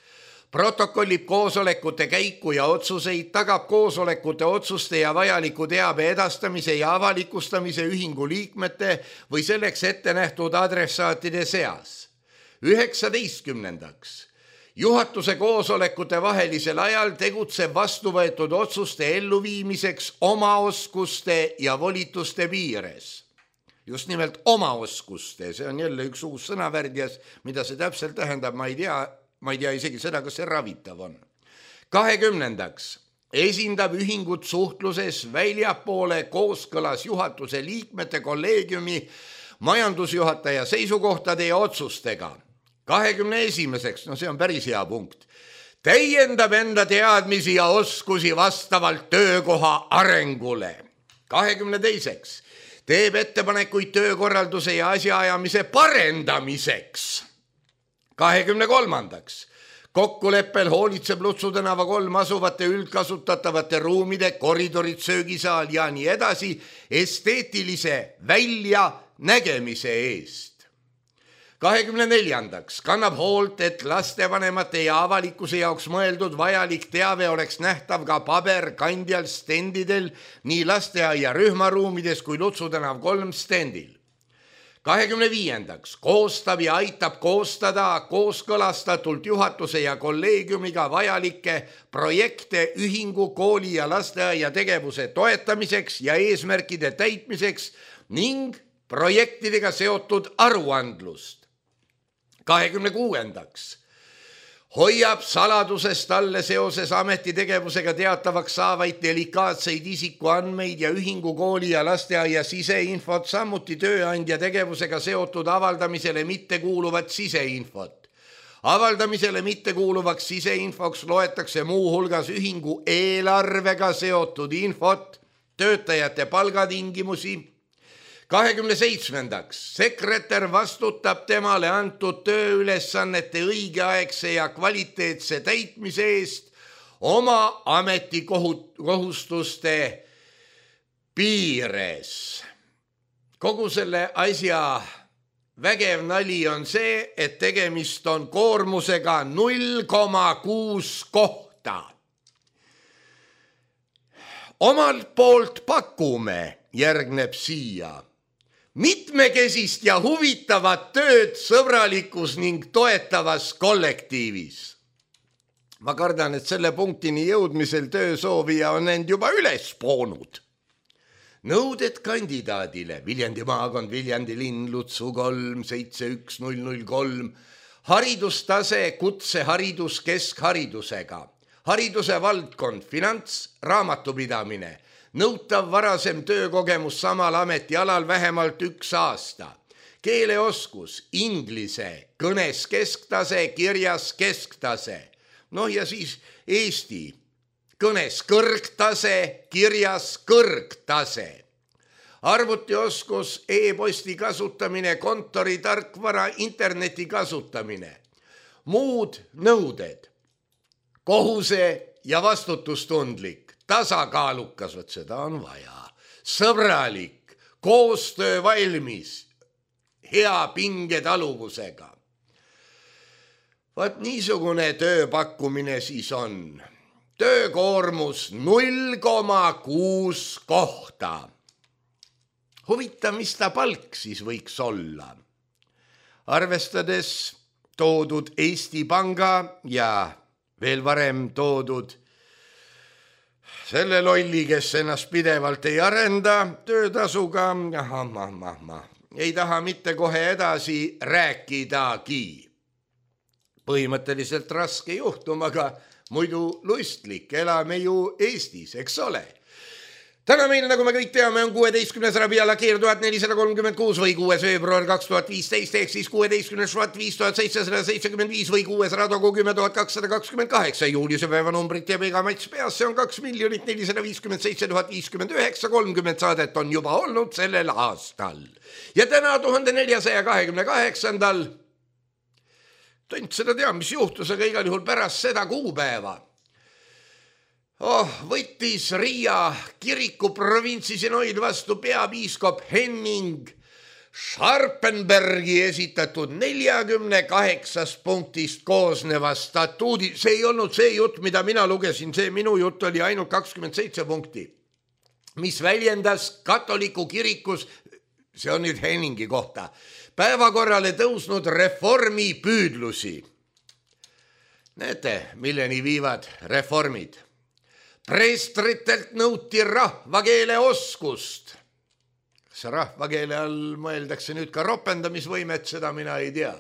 protokollib koosolekute käiku ja otsuseid, tagab koosolekute otsuste ja vajaliku teabe edastamise ja avalikustamise ühingu liikmete või selleks ette nähtud adressaatide seas. üheksateistkümnendaks juhatuse koosolekute vahelisel ajal tegutseb vastuvõetud otsuste elluviimiseks oma oskuste ja volituste piires. Just nimelt oma oskuste, see on jälle üks uus sõnavärdjas, mida see täpselt tähendab, ma ei tea, ma ei tea isegi seda, kas see ravitav on. kahekümnendaks esindab ühingut suhtluses väljapoole kooskõlas juhatuse liikmete, kolleegiumi, majandusjuhataja seisukohtade ja otsustega. kahekümne esimeseks, no see on päris hea punkt, täiendab enda teadmisi ja oskusi vastavalt töökoha arengule. kahekümne teiseks teeb ettepanekuid töökorralduse ja asjaajamise parendamiseks. kahekümne kolmandaks kokkuleppel hoolitseb Lutsu tänava kolm asuvate üldkasutatavate ruumide, koridorid, söögisaal ja nii edasi esteetilise väljanägemise eest. kahekümne neljandaks kannab hoolt, et lastevanemate ja avalikkuse jaoks mõeldud vajalik teave oleks nähtav ka paberkandjal stendidel nii lasteaia rühmaruumides kui Lutsu tänav kolm stendil. kahekümne viiendaks koostab ja aitab koostada kooskõlastatult juhatuse ja kolleegiumiga vajalikke projekte ühingu, kooli ja lasteaia tegevuse toetamiseks ja eesmärkide täitmiseks ning projektidega seotud aruandlust. kahekümne kuuendaks hoiab saladusest talle seoses ametitegevusega teatavaks saavaid delikaatseid isikuandmeid ja ühingu, kooli ja lasteaia siseinfot, samuti tööandja tegevusega seotud avaldamisele mittekuuluvat siseinfot. Avaldamisele mittekuuluvaks siseinfoks loetakse muu hulgas ühingu eelarvega seotud infot, töötajate palgatingimusi. kahekümne seitsmendaks sekretär vastutab temale antud tööülesannete õigeaegse ja kvaliteetse täitmise eest oma ametikohustuste piires. Kogu selle asja vägev nali on see, et tegemist on koormusega null koma kuus kohta. Omalt poolt pakume, järgneb siia mitmekesist ja huvitavat tööd sõbralikus ning toetavas kollektiivis. Ma kardan, et selle punktini jõudmisel töösoovija on end juba üles poonud. Nõuded kandidaadile Viljandi maakond, Viljandi linn, Lutsu kolm seitse üks null null kolm. Haridustase kutseharidus keskharidusega. Hariduse valdkond, finants, raamatupidamine. nõutav varasem töökogemus samal ametialal vähemalt üks aasta. Keeleoskus, inglise, kõnes kesktase, kirjas kesktase. Noh ja siis eesti, kõnes kõrgtase, kirjas kõrgtase. Arvutioskus, e-posti kasutamine, kontori tarkvara, interneti kasutamine. Muud nõuded, kohuse ja vastutustundlik, tasakaalukas, võt seda on vaja, sõbralik, koostöö valmis, hea pingetaluvusega. Vaat niisugune tööpakkumine siis on. Töökoormus null koma kuus kohta. Huvitav, mis ta palk siis võiks olla? Arvestades toodud Eesti Panga ja veel varem toodud selle lolli, kes ennast pidevalt ei arenda töötasuga, aha, ma, ma, ma, ei taha mitte kohe edasi rääkidagi. Põhimõtteliselt raske juhtum, aga muidu lustlik, elame ju Eestis, eks ole. Täna meil, nagu me kõik teame, on kuueteistkümnes Rabiala keer tuhat nelisada kolmkümmend kuus või kuues veebruar kaks tuhat viisteist ehk siis kuueteistkümnes Švat viis tuhat seitsesada seitsekümmend viis või kuues Radogu kümme tuhat kakssada kakskümmend kaheksa. Juuliuse päeva numbrit ja iga mats peas, see on kaks miljonit nelisada viiskümmend seitse tuhat viiskümmend üheksa, kolmkümmend saadet on juba olnud sellel aastal. Ja täna tuhande neljasaja kahekümne kaheksandal tont seda tea, mis juhtus, aga igal juhul pärast seda kuupäeva Oh, võttis Riia kiriku provintsi Sinoid vastu peapiiskop Henning Scharpenbergi esitatud neljakümne kaheksast punktist koosneva statuudi. See ei olnud see jutt, mida mina lugesin, see minu jutt oli ainult kakskümmend seitse punkti, mis väljendas katoliku kirikus, see on nüüd Henningi kohta, päevakorrale tõusnud reformi püüdlusi. Näete, milleni viivad reformid. Preestritelt nõuti rahvakeele oskust. Kas rahvakeele all mõeldakse nüüd ka ropendamisvõimet, seda mina ei tea.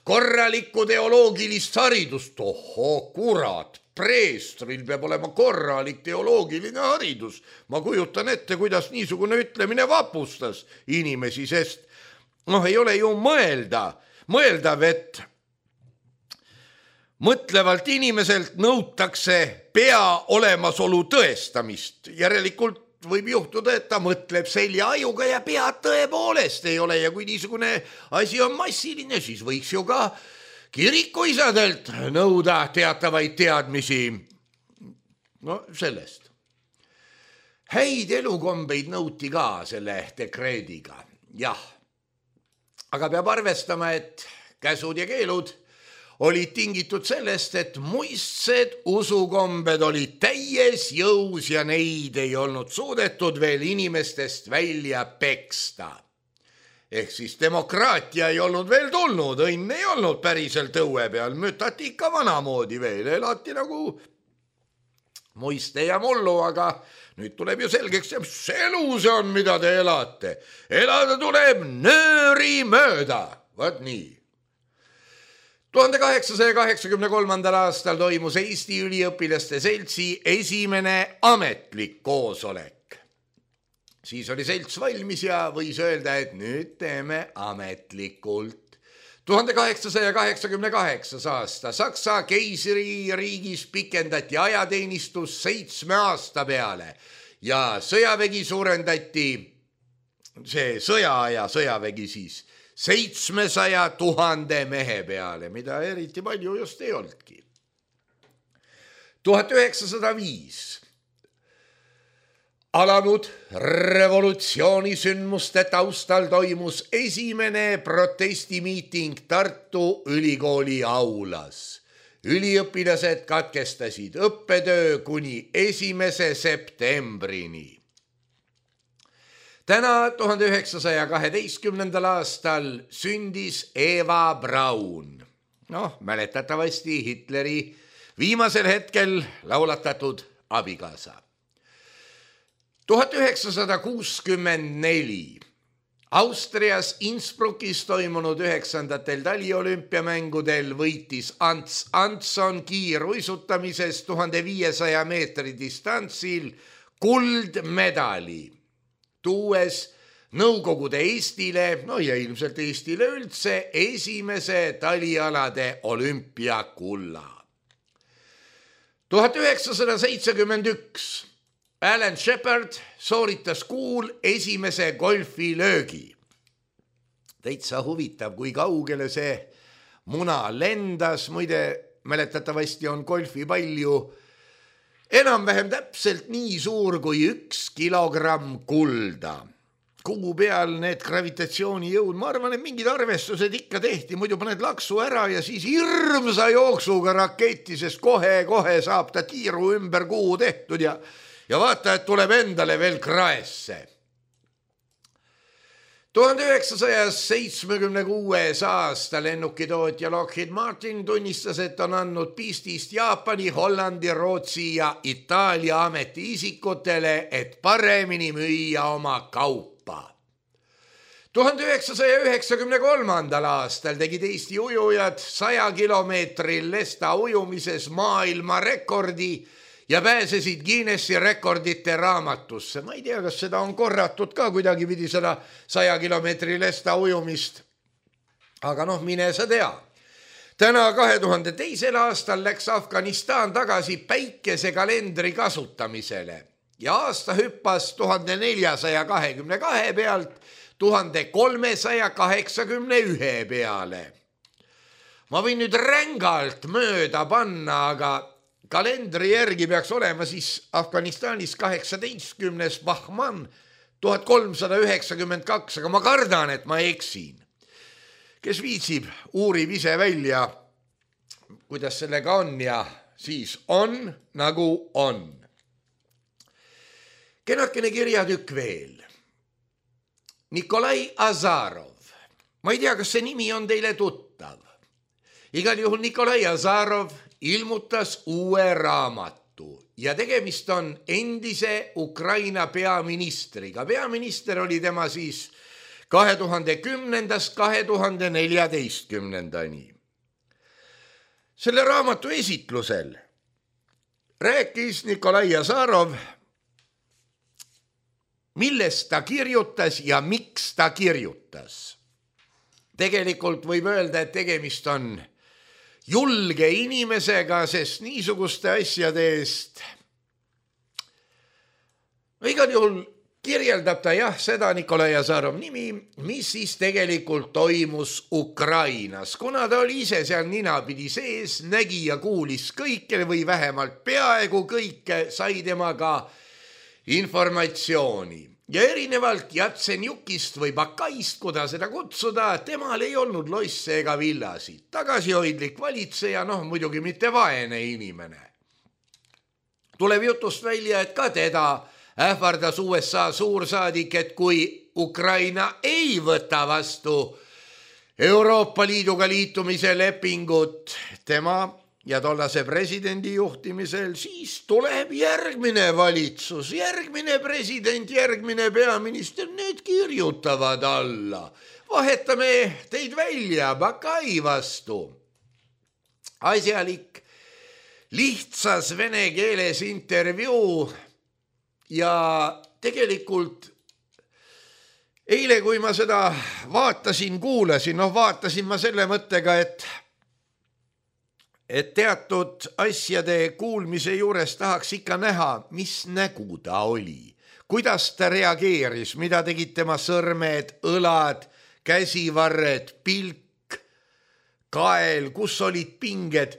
Korralikku teoloogilist haridust, oho, kurat, preestril peab olema korralik teoloogiline haridus. Ma kujutan ette, kuidas niisugune ütlemine vapustas inimesi, sest noh, ei ole ju mõelda, mõeldav, et mõtlevalt inimeselt nõutakse pea olemasolu tõestamist. Järelikult võib juhtuda, et ta mõtleb selja ajuga ja pead tõepoolest ei ole. Ja kui niisugune asi on massiline, siis võiks ju ka kirikuisadelt nõuda teatavaid teadmisi. No sellest. Häid elukombeid nõuti ka selle dekreediga. Jah, aga peab arvestama, et käsud ja keelud olid tingitud sellest, et muistsed usukombed olid täies jõus ja neid ei olnud suudetud veel inimestest välja peksta. Ehk siis demokraatia ei olnud veel tulnud, õnn ei olnud päriselt õue peal, mütati ikka vanamoodi veel, elati nagu muiste ja mullu, aga nüüd tuleb ju selgeks, mis elu see on, mida te elate. Elada tuleb nööri mööda, vaat nii. tuhande kaheksasaja kaheksakümne kolmandal aastal toimus Eesti üliõpilaste seltsi esimene ametlik koosolek. Siis oli selts valmis ja võis öelda, et nüüd teeme ametlikult. tuhande kaheksasaja kaheksakümne kaheksas aasta Saksa keisririigis pikendati ajateenistus seitsme aasta peale ja sõjavägi suurendati, see sõjaaja sõjavägi siis, seitsmesaja tuhande mehe peale, mida eriti palju just ei olnudki. tuhat üheksasada viis alanud revolutsioonisündmuste taustal toimus esimene protestimiiting Tartu Ülikooli aulas. Üliõpilased katkestasid õppetöö kuni esimese septembrini. Täna tuhande üheksasaja kaheteistkümnendal aastal sündis Eva Braun. Noh, mäletatavasti Hitleri viimasel hetkel laulatatud abikaasa. tuhat üheksasada kuuskümmend neli Austrias Innsbruckis toimunud üheksandatel taliolümpiamängudel võitis Ants Antson kiiruisutamises tuhande viiesaja meetri distantsil kuldmedali, tuues Nõukogude Eestile, no ja ilmselt Eestile üldse, esimese talialade olümpiakulla. tuhat üheksasada seitsekümmend üks Alan Shepard sooritas kuul esimese golfilöögi. Täitsa huvitav, kui kaugele see muna lendas, muide mäletatavasti on golfipall ju enam-vähem täpselt nii suur kui üks kilogramm kulda. Kuu peal need gravitatsioonijõud, ma arvan, et mingid arvestused ikka tehti, muidu paned laksu ära ja siis hirmsa jooksuga raketti, sest kohe-kohe saab ta tiiru ümber kuu tehtud ja, ja vaata, et tuleb endale veel kraesse. tuhande üheksasaja seitsmekümne kuues aasta lennukitootja Lockheed Martin tunnistas, et on andnud pistist Jaapani, Hollandi, Rootsi ja Itaalia ametiisikutele, et paremini müüa oma kaupa. tuhande üheksasaja üheksakümne kolmandal aastal tegid Eesti ujujad saja kilomeetril lesta ujumises maailma rekordi ja pääsesid Guinessi rekordite raamatusse. Ma ei tea, kas seda on korratud ka kuidagi pidi seda saja kilomeetri lesta ujumist. Aga noh, mine sa tea. Täna kahe tuhande teisel aastal läks Afganistan tagasi päikesekalendri kasutamisele ja aasta hüppas tuhande neljasaja kahekümne kahe pealt tuhande kolmesaja kaheksakümne ühe peale. Ma võin nüüd rängalt mööda panna, aga kalendri järgi peaks olema siis Afganistanis kaheksateistkümnes Bahman tuhat kolmsada üheksakümmend kaks, aga ma kardan, et ma eksin. Kes viitsib, uurib ise välja, kuidas sellega on ja siis on nagu on. Kenakene kirjatükk veel. Nikolai Azarov. Ma ei tea, kas see nimi on teile tuttav. Igal juhul Nikolai Azarov ilmutas uue raamatu ja tegemist on endise Ukraina peaministriga. Peaminister oli tema siis kahe tuhande kümnendast kahe tuhande neljateistkümnendani. Selle raamatu esitlusel rääkis Nikolai Azarov, millest ta kirjutas ja miks ta kirjutas. Tegelikult võib öelda, et tegemist on julge inimesega, sest niisuguste asjade eest igal juhul kirjeldab ta jah seda Nikolai Azarov nimi, mis siis tegelikult toimus Ukrainas. Kuna ta oli ise seal ninapidi sees, nägi ja kuulis kõike või vähemalt peaaegu kõike, sai temaga informatsiooni. Ja erinevalt Jatsenjukist või Bakaist, kuda seda kutsuda, temal ei olnud loisse ega villasid. Tagasihoidlik valitseja, noh muidugi mitte vaene inimene. Tuleb jutust välja, et ka teda ähvardas U S A suursaadik, et kui Ukraina ei võta vastu Euroopa Liiduga liitumise lepingut tema ja tollase presidendi juhtimisel, siis tuleb järgmine valitsus, järgmine president, järgmine peaminister, need kirjutavad alla. Vahetame teid välja Bakai vastu. Asjalik, lihtsas vene keeles intervjuu ja tegelikult eile, kui ma seda vaatasin, kuulasin, noh vaatasin ma selle mõttega, et et teatud asjade kuulmise juures tahaks ikka näha, mis nägu ta oli, kuidas ta reageeris, mida tegid tema sõrmed, õlad, käsivarred, pilk, kael, kus olid pinged.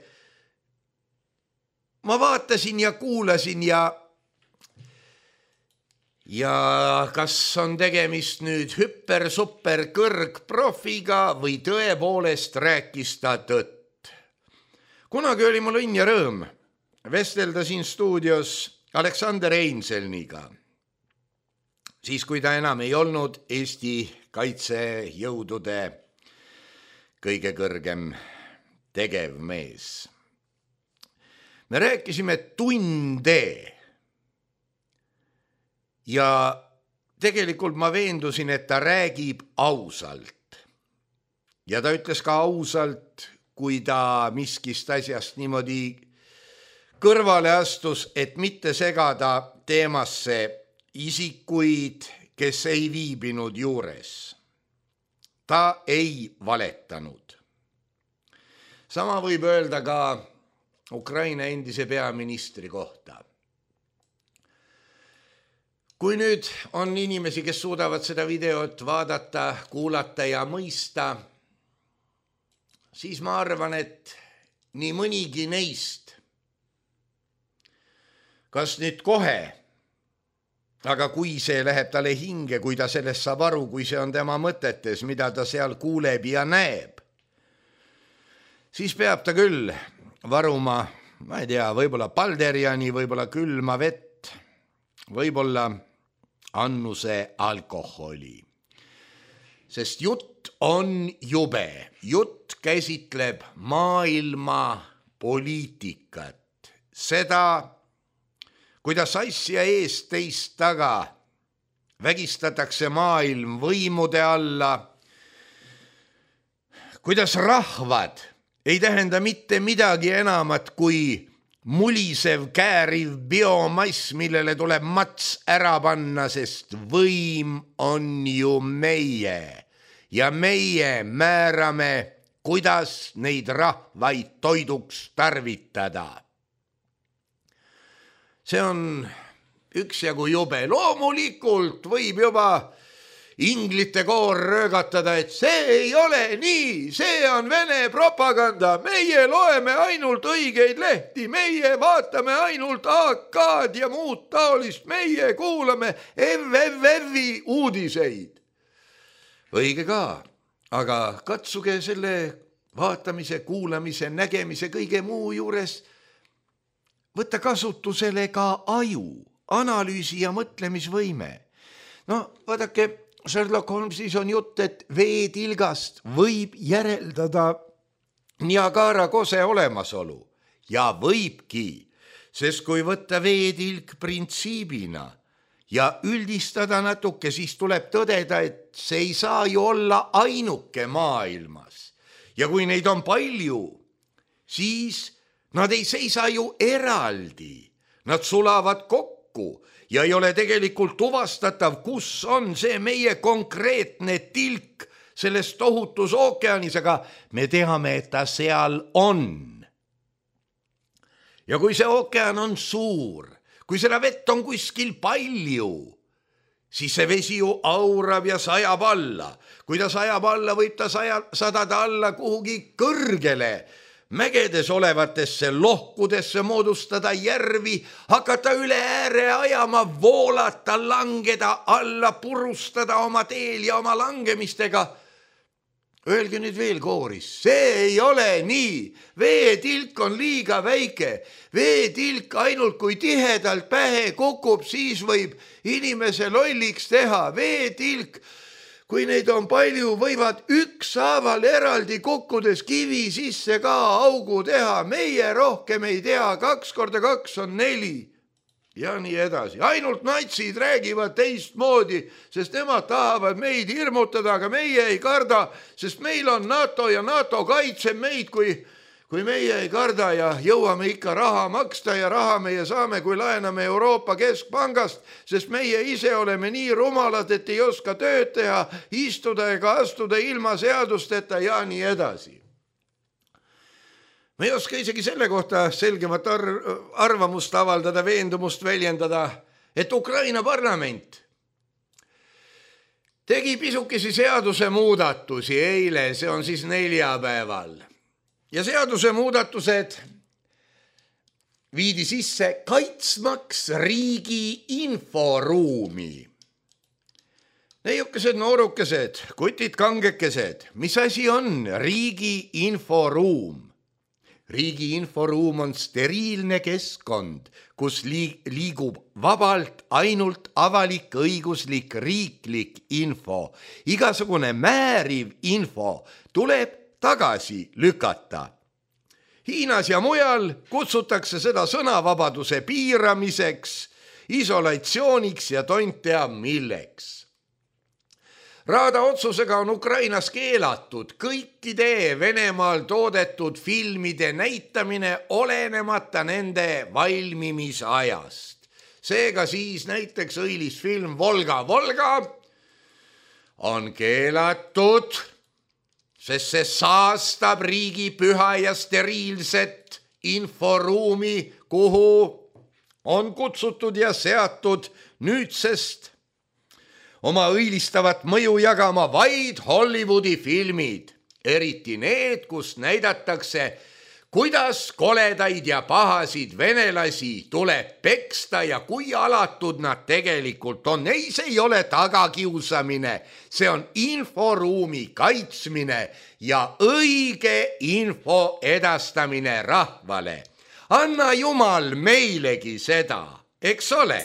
Ma vaatasin ja kuulasin ja ja kas on tegemist nüüd hüper-super kõrgprofiga või tõepoolest rääkis ta tõtt. Kunagi oli mul õnn ja rõõm vestelda siin stuudios Aleksander Einselniga, siis kui ta enam ei olnud Eesti kaitsejõudude kõige kõrgem tegevmees. Me rääkisime tunde ja tegelikult ma veendusin, et ta räägib ausalt. Ja ta ütles ka ausalt, kui ta miskist asjast niimoodi kõrvale astus, et mitte segada teemasse isikuid, kes ei viibinud juures. Ta ei valetanud. Sama võib öelda ka Ukraina endise peaministri kohta. Kui nüüd on inimesi, kes suudavad seda videot vaadata, kuulata ja mõista, siis ma arvan, et nii mõnigi neist, kas nüüd kohe, aga kui see läheb talle hinge, kui ta sellest saab aru, kui see on tema mõtetes, mida ta seal kuuleb ja näeb, siis peab ta küll varuma, ma ei tea, võib-olla Balderiani, võib-olla külma vett, võib-olla annuse alkoholi. Sest jutt on jube. Jutt käsitleb maailma poliitikat. Seda, kuidas asja eest teist taga vägistatakse maailm võimude alla, kuidas rahvad ei tähenda mitte midagi enamat kui mulisev, kääriv biomass, millele tuleb mats ära panna, sest võim on ju meie ja meie määrame, kuidas neid rahvaid toiduks tarvitada. See on üksjagu jube. Loomulikult võib juba inglite koor röögatada, et see ei ole nii, see on Vene propaganda, meie loeme ainult õigeid lehti, meie vaatame ainult A K-d ja muud taolist, meie kuulame F F F-i uudiseid. Õige ka, aga katsuge selle vaatamise, kuulamise, nägemise, kõige muu juures võtta kasutusele ka aju, analüüsi ja mõtlemisvõime. No vaadake, Sherlock Holmesis on jutt, et veetilgast võib järeldada Niagara kose olemasolu ja võibki, sest kui võtta veetilk printsiibina ja üldistada natuke, siis tuleb tõdeda, et see ei saa ju olla ainuke maailmas. Ja kui neid on palju, siis nad ei seisa ju eraldi, nad sulavad kokku ja ei ole tegelikult tuvastatav, kus on see meie konkreetne tilk selles tohutus ookeanis, aga me teame, et ta seal on. Ja kui see ookean on suur, kui seda vett on kuskil palju, siis see vesi ju aurab ja sajab alla. Kui ta sajab alla, võib ta saja, sadada alla kuhugi kõrgele, mägedes olevatesse lohkudesse, moodustada järvi, hakata üle ääre ajama, voolata, langeda alla, purustada oma teel ja oma langemistega. Öelge nüüd veel kooris, see ei ole nii. Veetilk on liiga väike. Veetilk ainult kui tihedalt pähe kukub, siis võib inimese lolliks teha. Veetilk, kui neid on palju, võivad ükshaaval eraldi kukkudes kivi sisse ka augu teha. Meie rohkem ei tea, kaks korda kaks on neli ja nii edasi. Ainult natsid räägivad teistmoodi, sest nemad tahavad meid hirmutada, aga meie ei karda, sest meil on NATO ja NATO kaitseb meid, kui, kui meie ei karda ja jõuame ikka raha maksta ja raha meie saame, kui laename Euroopa Keskpangast, sest meie ise oleme nii rumalad, et ei oska tööd teha, istuda ega astuda ilma seadusteta ja nii edasi. Me ei oska isegi selle kohta selgemat ar- arvamust avaldada, veendumust väljendada, et Ukraina parlament tegi pisukesi seaduse muudatusi eile, see on siis neljapäeval. Ja seaduse muudatused viidi sisse kaitsmaks riigi inforuumi. Neiukesed, noorukesed, kutid, kangekesed, mis asi on riigi inforuum? Riigi inforuum on steriilne keskkond, kus liigub vabalt ainult avalik õiguslik riiklik info. Igasugune määriv info tuleb tagasi lükata. Hiinas ja mujal kutsutakse seda sõnavabaduse piiramiseks, isolatsiooniks ja tont teab milleks. Raada otsusega on Ukrainas keelatud kõikide Venemaal toodetud filmide näitamine olenemata nende valmimisajast. Seega siis näiteks õilisfilm Volga Volga on keelatud, sest see saastab riigi püha ja steriilset inforuumi, kuhu on kutsutud ja seatud nüüdsest oma õilistavat mõju jagama vaid Hollywoodi filmid, eriti need, kus näidatakse, kuidas koledaid ja pahasid venelasi tuleb peksta ja kui alatud nad tegelikult on. Ei, see ei ole tagakiusamine, see on inforuumi kaitsmine ja õige info edastamine rahvale. Anna Jumal meilegi seda, eks ole?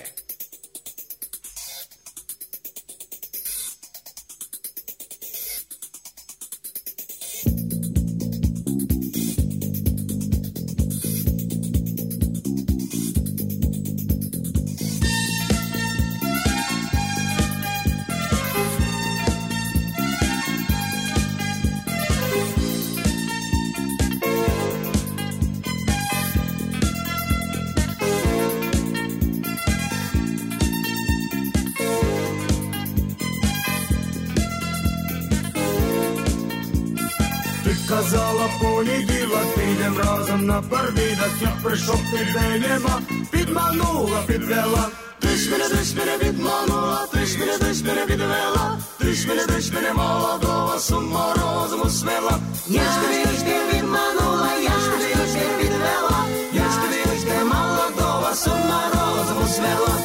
Казала понеділок, підем разом на парвідок. Я прийшов тебе нема, підманула, підвела. Ти ж мене, ти ж мене відманула, ти ж мене, ти ж мене відвела. Ти ж мене, ти ж мене молодого з ума розуму свела. Я ж тобі, я ж ти відманула, я ж тобі, я ж ти відвела. Я ж тобі, я ж ти молодого з ума розуму свела.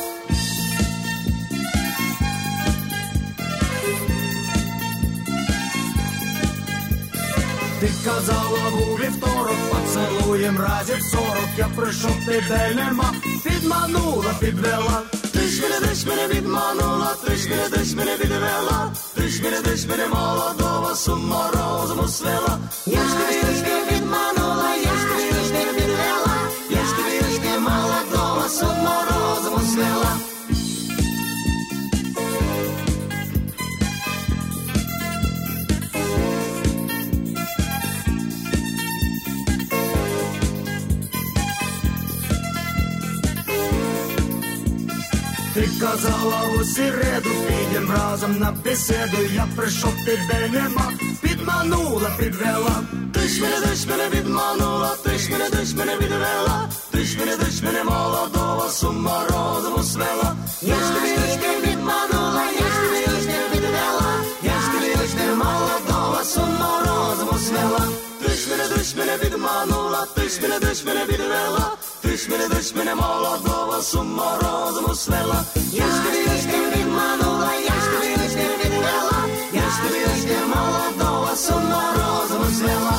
Ти казала у вівторок, поцелуєм разів сорок. Я прийшов, тебе нема, підманула, підвела. Ти ж мене, ти ж мене відманула, ти ж мене, ти ж мене відвела. Ти ж мене, ти ж мене молодого з ума розуму свела. Я ж тобі, я ж ти відманула, я ж тобі, я ж ти відвела. Я ж тобі, я ж ти молодого з ума розуму свела. Ти казала у середу, підем разом на беседу. Я прийшов, тебе нема, підманула, підвела. Ти ж мене, ти ж мене відманула, ти ж мене, ти ж мене відвела. Ти ж мене, ти ж мене молодого з ума розуму свела. Я ж тобі, я ж ти відманула, я ж тобі, я ж ти відвела. Я ж тобі, я ж ти молодого з ума розуму свела. Ти ж мене, ти ж мене відманула, ти ж мене, ти ж мене відвела. Ти ж мене, ти ж мене молодого з ума розуму свела. Я ж тобі, я ж ти відманула, я ж тобі, я ж ти відвела. Я ж тобі, я ж ти молодого з ума розуму свела.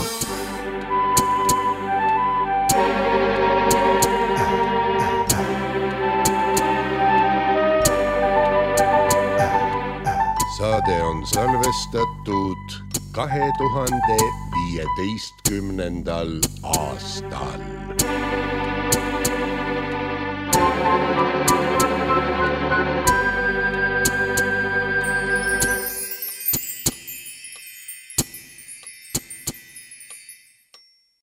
Saade on salvestatud kahe tuhande viieteistkümnendal aastal.